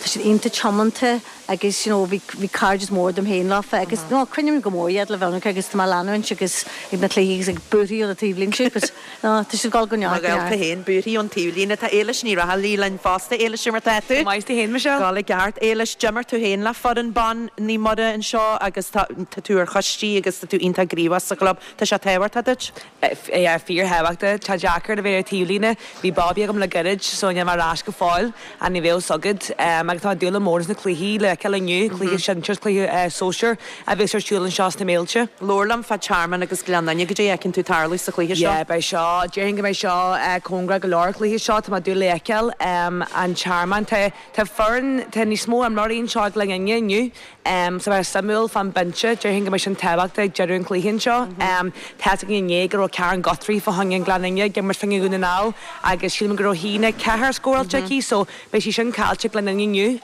tá siad iontach tiomanta agus you know bhí, bhí cairdeas mór dom féin leofa agus no, coinním go mór iad le bheith ionraic agus tá mé ag leanúint agus ag na cluichí agus ag buarthaí ó na taobhlínte but no, tá siad ag dul go neart, Mo ghaolta neart. féin, buarthaí ón taobhlíne. Tá Éilis Ní Raghallaigh linn fosta. Éilis, cad é mar tá tú? Go maith, tú féin, Michelle? Dul i gceart. Éilis, d'imir tú féin le foireann ban Naomh Muire anseo agus tá, tá tú ar choistí agus tá tú iontach gníomhach sa chlub. Tá sé tábhachtach duit? Yeah, fíorthábhachtach. Tá deacair a bheith ar taobhlíne. Bhí baby agam le gairid so níl mé ar ais go fóill and ní bheadh fhios agat. Agus tá mé ag dúil go mór leis na cluichí le feiceáil inniu, cluiche sinsir is cluiche sóisir a bheas ar siúl anseo sna Méilte. Labhair liom fá Tearmann agus Gleann Fhinne, goidé a fheiceann tú tarlú sa chluiche seo? Yeah, beidh seo, déarfainn go mbeidh seo cóngarach go leor an cluiche seo, tá mé ag dúil le feiceáil. An Tearmann, tá tá foireann, tá níos mó imreoirí anseo ag Gleann Fhinne inniu. So beidh sé suimiúil fán binse, déarfainn go mbeidh sin tábhachtach ag deireadh an chluiche anseo. Tá fhios againn inné go raibh Karen Guthrie fá choinne an Gleann Fhinne ag imirt fá choinne Dhún na nGall agus sílim go raibh 1-4 scóráilte aici so beidh sí sin caillte ag Gleann Fhinne inniu.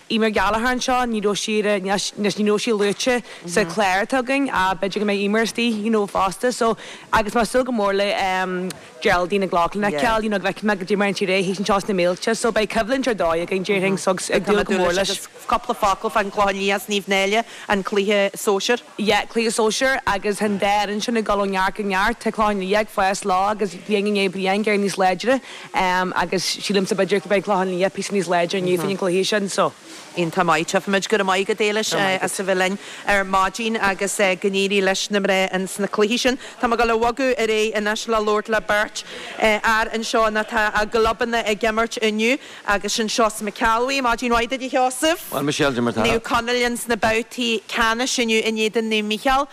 Eimear Gallagher anseo, ní raibh sí ar anois ní raibh sí luaite sa chlár atá againn ach b'fhéidir go mbeidh Eimear istigh you know fosta so agus tá mé ag súil go mór le Geraldine McLaughlin a fheiceáil, you know, go bhfeicfidh mé goidé mar a dhéanann sí réidh anseo sna Méilte, so beidh coimhlint ar dóigh againn, déarfainn, so ag dúil go mór leis. Agus cúpla focal fán Chlochán Liath is Naomh Náille, an cluiche sóisir. Yeah, cluiche sóisir agus tá an dá fhoireann sin ag dul ó neart go neart, tá Clochán Liath ag fás leo agus bliain i ndiaidh bliain ag éirí níos láidre agus sílimse b'fhéidir go mbeidh Clochán Liath píosa níos láidre inniu fá choinne an chluiche sin, so. Iontach maith. Tchífimid. Go raibh maith agat, Éilis, as a bheith linn ar maidin agus go n-éirí leis na mná ins na cluichí sin. Tá mé ag dul a bhogadh ar aghaidh anois le labhairt le beirt fhear anseo atá a gclubanna ag imirt inniu agus sin Seosamh Mac Ceallbhuí. Maidin mhaith duit, a Sheosaimh. Bhuel, Michelle, cad é mar tá. Naomh Conaill ins na babhtaí ceannais inniu in éadan Naomh Mícheál.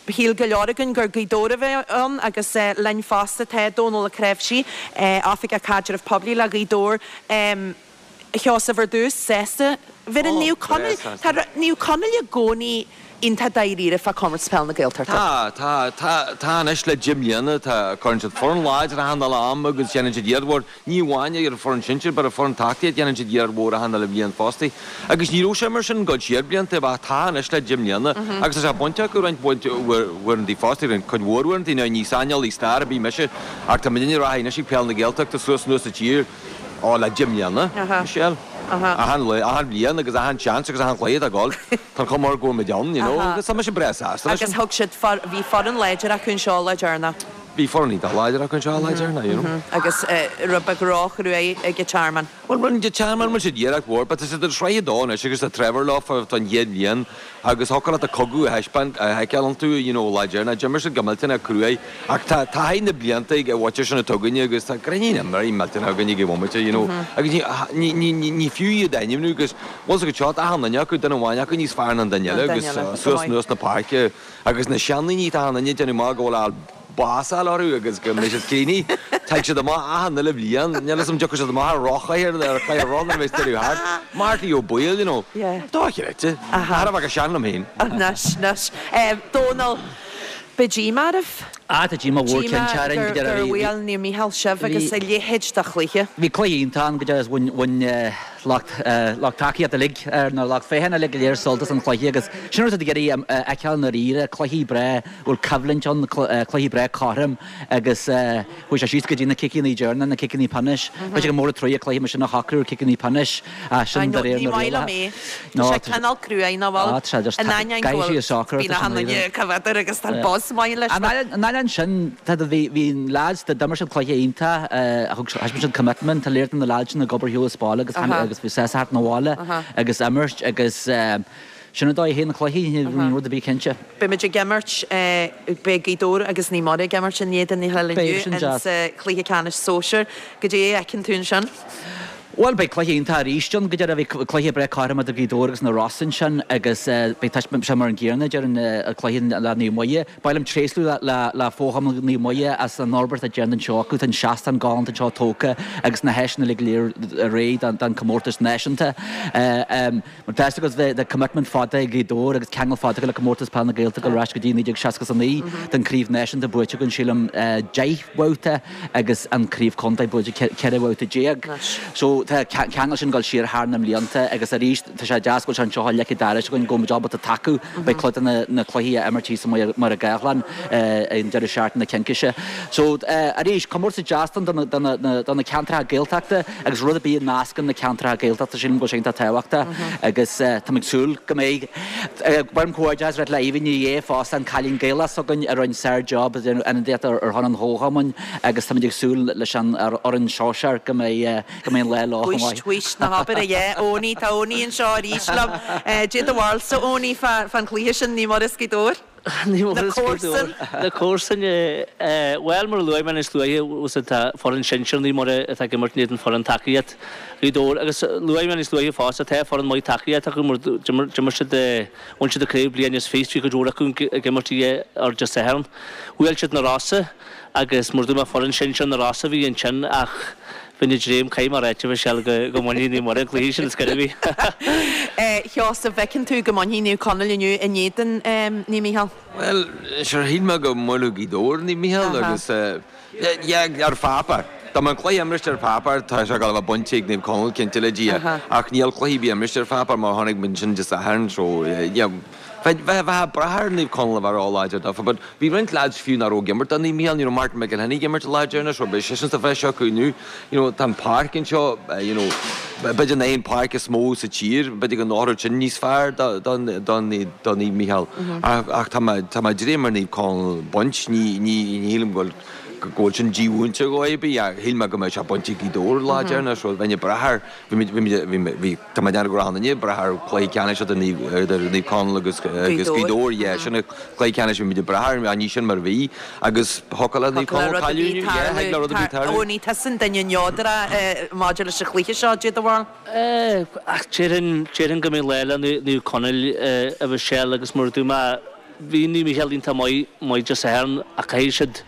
Shíl go leor againn gur Gaoth Dobhair a bheadh ann agus linn fosta tá Dónal Ó Cnáimhsí, Oifigeach Caidreamh Poiblí le Gaoth Dobhair. A Sheosaimh, ar dtús, sásta. Bhí Naomh Conaill, tá Naomh Conaill i gcónaí iontach dáiríre fá Chomórtas Peile na Gaeltachta. Tá, tá, tá, tá anois le 10 mbliana, tá, cuireann siad foireann láidir achan uile am agus déanann siad iarracht mhór, ní amháin ar an foireann sinsir but ar foireann tacaíocht déanann siad iarracht mhór achan uile bhliain fosta. Agus ní raibh sé mar sin ag dul siar blianta ach tá anois le 10 mbliana agus tá sé bainte acu roinnt uaireanta fosta, roinnt, cuid mhór uaireanta, now ní saineolaí stair ar bith mise ach tá muidinne ag rá anois ag Peil na Gaeltachta suas anuas sa tír, Ó, le 10 mbliana, Michelle. Achan lá, achan bhliain agus achan seans agus achan chluiche atá ag dul, tá an chuma air go bhfuil muid ann, you know, agus tá mise breá sásta leis sin. Agus thug siad, bhí foireann láidir acu anseo lá deireanach. Bhí foireann iontach láidir acu anseo lá deireanach, you know. Agus rud beag róchruaidh ag an Tearmann. Bhuel, rinne an Tearmann, rinne siad iarracht mhór, but tá siad i sraith a dó anois agus tá Trevor leo don chéad bhliain Agus thiocfadh leat an cogadh a thaispeáint, a fheiceáil iontu, you know, lá deireanach. D'imir siad go millteanach cruaidh. Ach tá taithí na blianta ag an mhuintir sin atá againne agus tá grinnín imreoirí millteanach againne ag an bhomaite, you know. Agus ní, ní, ní, ní, ní fiú iad a ainmniú agus, bhfuil 's agat seo, tá achan duine acu, duine amháin acu níos fearr ná an duine eile agus suas anuas na páirce agus na seandaoine, tá achan duine ag déanamh amach go bhfuil a bás a fháil orthu agus go mbeidh siad críochnaithe. Tig siad amach achan uile bhliain. Níl 'fhios a'm dtiocfaidh siad amach ar rothchathaoir ar chathaoir roth nuair a bheas deireadh thart. Marty Ó Baoill, you know. Dochreidte. Thar a bheith chomh sean liom féin. Anois, anois. Dónal, beidh díomá oraibh. Ah, tá díomá mhór cinnte orainn go deireadh. Gur bhuail Naomh Mícheál sibh agus a leithéid de chluiche. Bhí cluiche iontach ann go deireadh is bhain lucht lucht tacaíochta uilig nó lucht féachana uilig go léir sult as an chluiche agus sin rud atá ag iarraidh a fheiceáil i ndáiríre, cluichí breá bhfuil coimhlint ann, cluichí breá cothrom agus chuaigh sé síos go dtí na ciceanna deireanacha, na ciceanna pionóis. Bheadh sé go mór an truaighe cluiche mar sin a shocrú ar ciceanna pionóis ach sin de réir na rialacha. Ní maith liom é. Tá sé cineál cruaidh nach bhfuil? Tá sé just In ainneoin go bhfuil bíonn achan duine cá bhfeadar agus tá buzz maith leis. An ainneoin sin, bhí an lads, d'imir siad cluiche iontach, thug thaispeáin siad commitment, tá léir do na lads sin ag obair ar shiúl as baile agus bhí sásta theacht 'na bhaile agus imirt agus Sin an dóigh a théann na cluichí, níl rud ar bith cinnte. Beidh muid ag imirt, beidh Gaoth Dobhair agus Naomh Muire ag imirt in éadan a chéile inniu insa chluiche ceannais sóisir. Goidé a fheiceann tú ansin? Bhuel, beidh cluiche iontach arís ann go deireadh. Bhí cluiche breá cothrom idir Gaoth Dobhair agus na Rosa ansin agus beidh taispeáint, sé mar an gcéanna déarfainn an cluiche le Naomh Muire. Ba mhaith liom tréaslú le Fo-Chumann Naomh Muire as an fhorbairt atá déanta anseo acu. Tá an seastán galánta anseo tógtha agus na háiseanna uilig go léir réidh don comórtas náisiúnta. Mar tá 'fhios agat tá commitment fada ag Gaoth Dobhair agus ceangal fada acu le Comórtas Peile na Gaeltachta ar ais go dtí 1969. Tá an Craobh Náisiúnta buaite againn sílim 10 bhabhta agus an Craobh Contae buaite 14 bhabhta. So tá ceangal sin ag dul siar thar na mblianta agus arís tá sé deas go bhfuil sé anseo i Leic an Dara againn go bhfuil muid ábalta tacú. Beidh cuid de na cluichí á imirt thíos i Machaire Gathlán an deireadh seachtaine cincise. So arís comórtas deas do na ceantracha Gaeltachta. Agus rud ar bith a nascann na ceantracha Gaeltachta, sílim go bhfuil sé iontach tábhachtach agus tá mé ag súil go mbeidh. Ba mhaith liom comhghairdeachas a ráit le Aoibhinn Ní Dhé fosta, an cailín Gaelach s'againn a rinne sár-job ag déanamh ionadaíocht ar shon an Chomhchumainn agus táimid ag súil leis an fhoireann sóisear go mbeidh go mbeidh an lá leo chomh maith. Wíst, wíst, ná habair a dhath, Owenie, tá Owenie anseo arís liom. Caidé do bharúilsa, Owenie, fán chluiche sin, Naomh Muire 's Gaoth Dobhair? Na comharsain. Na comharsain, bhuel, mar a luaigh mé níos luaithe, tá foireann sinsir Naomh Muire atá ag imirt in éadan foireann tacaíocht Ghaoth Dobhair agus luaigh mé níos luaithe fosta, tá foireann maith tacaíocht acu mar d'imir siad, bhain siad an craobh bliain is fiche, bhí cuid mhór acu ag imirt ar Dé Sathairn. Bhuail siad na Rosa agus mar a dúirt mé foireann sinsir na Rosa a bhí ansin ach bheinn ag dréim caithfidh mé a ráit a Mhichelle go go mbainfidh Naomh Muire an cluiche sin ar scor ar bith. A Sheosaimh, bhfeiceann tú go mbainfidh Naomh Conaill inniu in éadan Naomh Mícheál? Bhuel, sure shíl mé go mbuailfeadh Gaoth Dobhair Naomh Mícheál agus yeah ar pháipéar. Dá mbeadh an cluiche imrithe ar pháipéar tá sé ag dul a bheith bainte ag Naomh Conaill cinnte le Dia ach níl cluiche ar bith imrithe ar pháipéar mar chonaic muid ansin Dé Sathairn so yeah Bheifeá ag brath ar Naomh Conaill a bheith ró-láidir daofa but bhí roinnt lads fiú nach raibh ag imirt do Naomh Mícheál, ní raibh Martin McElhinney ag imirt an lá deireanach so beidh seisean sa bhreis acu inniu. You know tá an páirc anseo you know b'fhéidir nach é an páirc is mó sa tír, b'fhéidir go n-oirfeadh sin níos fearr do do do do Naomh Mícheál ach ach tá mé tá mé ag dréim ar Naomh Conaill baint, ní ní ní shílim go bhfuil go bhfuil sin dímhúinte dhó ar bith ach shíl mé go mbeadh sé bainte ag Gaoth Dobhair an lá deireanach so bheinn ag brath ar bhí muid bhí muid bhí bhí Tá mé ag déanamh go raibh an ag brath ar chluiche ceannais idir Naomh Conaill agus Gaoth Dobhair, yeah, sin an cluiche ceannais a bhí muid ag brath air, ach ní sin mar a bhí agus thiocfadh le Naomh Conaill cailleadh inniu, yeah, thig le rud ar bith tarlú. Owenie, tusa an duine neodrach maidir leis an chluiche seo, caidé do bharúil. Ach déarfainn, déarfainn go mbeidh lá le Naomh Conaill a Mhichelle agus mar a dúirt mé, bhí Naomh Mícheál iontach maith, maith Dé Sathairn ach caithfidh siad,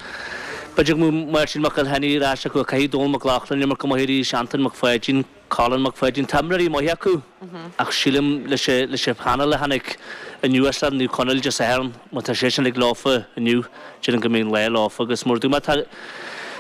b'fhéidir go mbeidh Máirtín McElhinney ar ais acu, caithfidh Dónal Mac Lochlainn imirt go maith arís, Antain Mac Pháidín. Colin Mac Pháidín, tá imreoirí maithe acu ach sílim leis an phainéal a tháinig anuas le Naomh Conaill Dé Sathairn, má tá sé sin ag leofa inniu, déarfainn go mbeidh an lá leofa agus mar a dúirt mé tá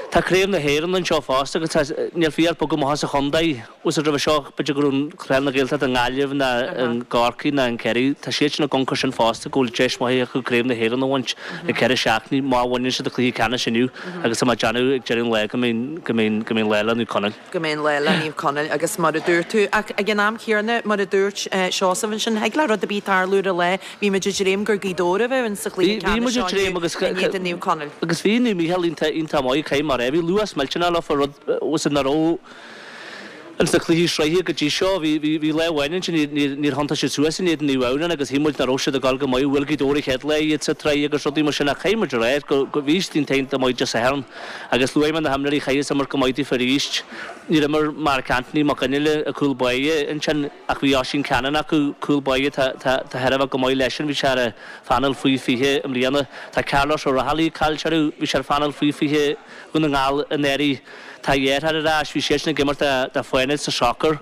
tá Craobh na hÉireann anseo fosta agus tá níl fiú ach bogadh amach as an chontae. Bhfuil roimhe seo b'fhéidir go raibh Peil na Gaeltachta i nGaillimh ná i gCorcaigh ná in Ciarraí, tá siad sin i gconcar sin fosta go bhfuil deis mhaith acu Craobh na hÉireann a bhaint i gceithre seachtainí má bhaineann siad an cluiche ceannais inniu agus tá mé ag déanamh ag deireadh an lae go mbeidh go mbeidh go mbeidh an lá le Naomh Conaill. go mbeidh an lá le Naomh Conaill agus mar a dúirt tú, ach ag an am chéanna, mar a dúirt Seosamh ansin, thig le rud ar bith tarlú ar an lá. Bhí muid ag dréim gur Gaoth Dobhair a bheadh insa chluiche ceannais seo inniu in éadan Naomh Conaill. Agus bhí Naomh Mícheál iontach iontach maith, caithfidh mé a rá. Bhí luas millteanach leofa, rud nach raibh ins na cluichí sraithe go dtí seo. Bhí bhí lá amháin ansin níor níor thiontaigh siad suas in éadan Naomh Adhamhnáin agus shíl muid nach raibh siad ag dul go maith. Bhuail Gaoth Dobhair an chéad lá iad sa tsraith agus rudaí mar sin ach caithfidh muid a rá go go bhí siad iontach iontach maith Dé Sathairn. Agus luaigh mé na himreoirí chaithfeas imirt go maith daofa arís. Níor imir Mark Anthony Mac Fhionnghaile, an cúl báire, ansin ach bhí Oisín Cannon acu, cúl báire tá thar a bheith go maith leisean, bhí sé ar an phainéal faoi 20 i mbliana. Tá Carlos Ó Raghallaigh caillte orthu, bhí sé ar phainéal faoi 20 Dhún na nGall anuraidh. Tá a dheartháir ar ais, bhí seisean ag imirt do Fánaid sa sacar,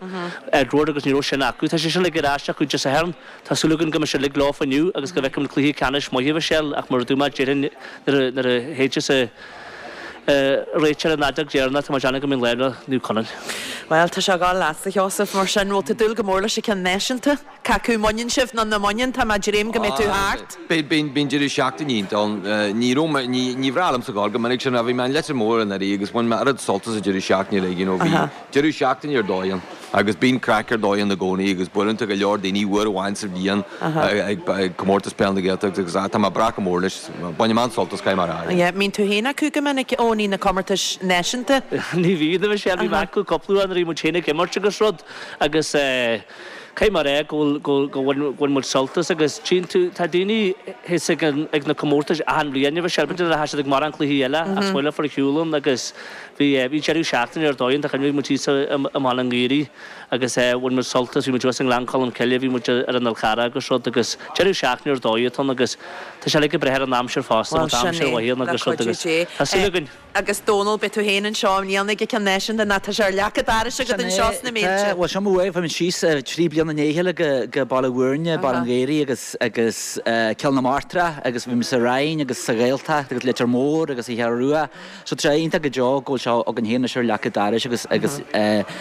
Edward, agus ní raibh sin acu. Tá sé sin uilig ar ais acu Dé Sathairn. Tá súil againn go mbeidh siad uilig leofa inniu agus go bhfeicfimid cluiche ceannais maith, a Mhichelle, ach mar a dúirt mé, déarfainn nuair a shéidfeas an réiteoir an fheadóg dheireanach, tá mé ag déanamh go mbeidh an lá le Naomh Conaill. Bhuel, tá sé ag dul leatsa, a Sheosaimh, mar sin, bhfuil tú ag dúil go mór leis an ceann náisiúnta? Cé acu an mbaineann sibh nó nach mbaineann, tá mé ag dréim go mbeidh tú thart. Beidh, bíonn deireadh seachtaine iontach ann. Ní raibh mé, ní, ní bhreá liomsa gabháil go minic sin, ach bhí mé in Leitir Móir anuraidh agus bhain mé oiread sult as an deireadh seachtaine uilig, you know, bhí deireadh seachtaine ar dóigh ann. Agus bíonn craic ar dóigh ann i gcónaí agus buaileann tú go leor daoine uair amháin sa bhliain ag Comórtas Peile na Gaeltachta agus tá mé ag brath go mór leis. Bainim an-sult as, caithfidh mé a rá. Yeah, mbíonn tú féin acu go minic, Eoiní, na comórtais náisiúnta? Ní bhíonn, a Mhichelle, bhí mé acu cúpla uair nuair a bhí muid féin ag imirt agus rud agus caithfidh mé a rá go bhfuil, go bhfuil, bhain muid sult as agus tchíonn tú, tá daoine thíos ag an, ag na comórtais achan bhliain, a Mhichelle, b'fhéidir nach raibh siad ag mórán cluichí eile ach is maith leofa ar shiúl ann agus Bhí bhí deireadh seachtaine ar dóigh ann, tá cuimhne bhí muid thíos i mBaile an Ghaorthaidh agus bhain muid sult as, bhí muid thuas i nGleann Cholm Cille, bhí muid ar an Fhál Carrach agus rud agus deireadh seachtaine ar dóigh atá ann agus tá sé uilig ag brath ar an aimsir fosta, má Bhuel tá sin aimsir é, mhaith ann le agus rud cuidiú agus Dé. tá súil againn. Agus Dónal, beidh tú féin anseo i mbliana ag an gceann náisiúnta nó tá sé ar leac an dorais agat Sin anseo é, sna tá, Méilte. bhuel seo mo bhuaidh, bhí muid síos 3 bliana i ndiaidh a chéile go go Baile Bhúirne, Baile an Ghaorthaidh agus agus Cill na Martra agus bhí muid sa Rinn agus sa Ghaeltacht agus Leitir Móir agus sa Cheathrú Rua. So tá sé iontach go deo go bhfuil seo againn féin anois ar leac an dorais agus agus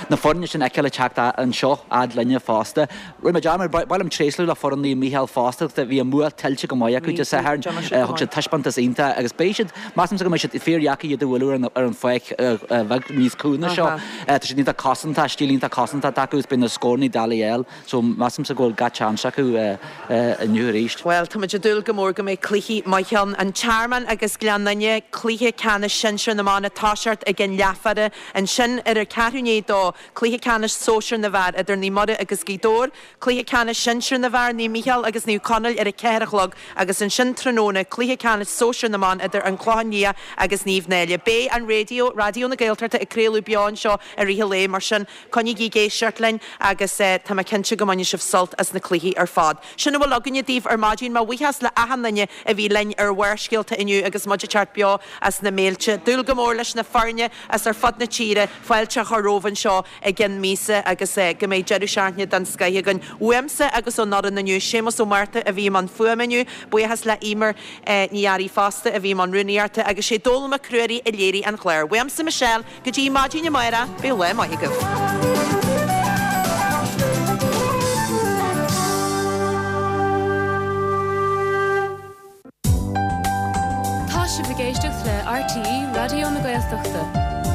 na foirne sin a fheiceáil ag teacht anseo fhad linne fosta. Rinne mé dearmad, ba mhaith liom tréaslú le foireann Naomh Mícheál fosta agus bhí an bua tuillte go maith acu Dé Sathairn. Thug siad taispeántas iontach agus beidh siad, measaimse go mbeidh siad fíordheacair iad a bhualadh ar an ar an pháirc bheag níos cúinge seo. Tá siad iontach cosantach, stíl iontach cosantach acu agus beidh na scóranna doiligh a fháil. So, measaimse go bhfuil gach seans acu inniu arís. Bhuel, tá muid ag dúil go mór go mbeidh cluichí maithe ann. An Tearmann agus Gleann Fhinne, cluiche ceannais sinsir na mban ag toiseacht ag an leathmhaire. Ansin, ar a ceathrú i ndiaidh a dó, cluiche ceannais sóisir na bhfear idir Naomh Muire agus Gaoth Dobhair, cluiche ceannais sinsir na bhfear, Naomh Mícheál agus Naomh Conaill ar a ceathair a chlog agus ansin tráthnóna, cluiche ceannais sóisir na mban idir An Clochán Liath agus Naomh Náille. Beidh an raidió, Raidió na Gaeltachta ag craoladh beo anseo i rith an lae, mar sin, Coinnígí ag éisteacht linn agus tá mé cinnte go mbainfidh sibh sult as na cluichí ar fad. Sin a bhfuil againne daoibh ar maidin. Mo bhuíochas le achan duine a bhí linn ar Bharrscéalta inniu agus muid ag teacht beo as na Méilte. Dúil go mór leis na foirne as ar fud na tíre fáilte a chur romhaibh anseo i gceann míosa agus go mbeidh deireadh seachtaine den scoith againn. Uaimse agus ón fhoireann inniu, Séamus Ó Márta a bhí i mbun fuaime inniu, buíochas le Emer Ní Fhearraigh fosta a bhí i mbun rúnaíochta agus sé Dónall Mac Ruairí a léirigh an clár. Uaimse Michelle, Go dtí maidin amárach, bíodh lá maith agaibh. Tá sibh ag éisteacht le RTÉ Raidió na Gaeltachta.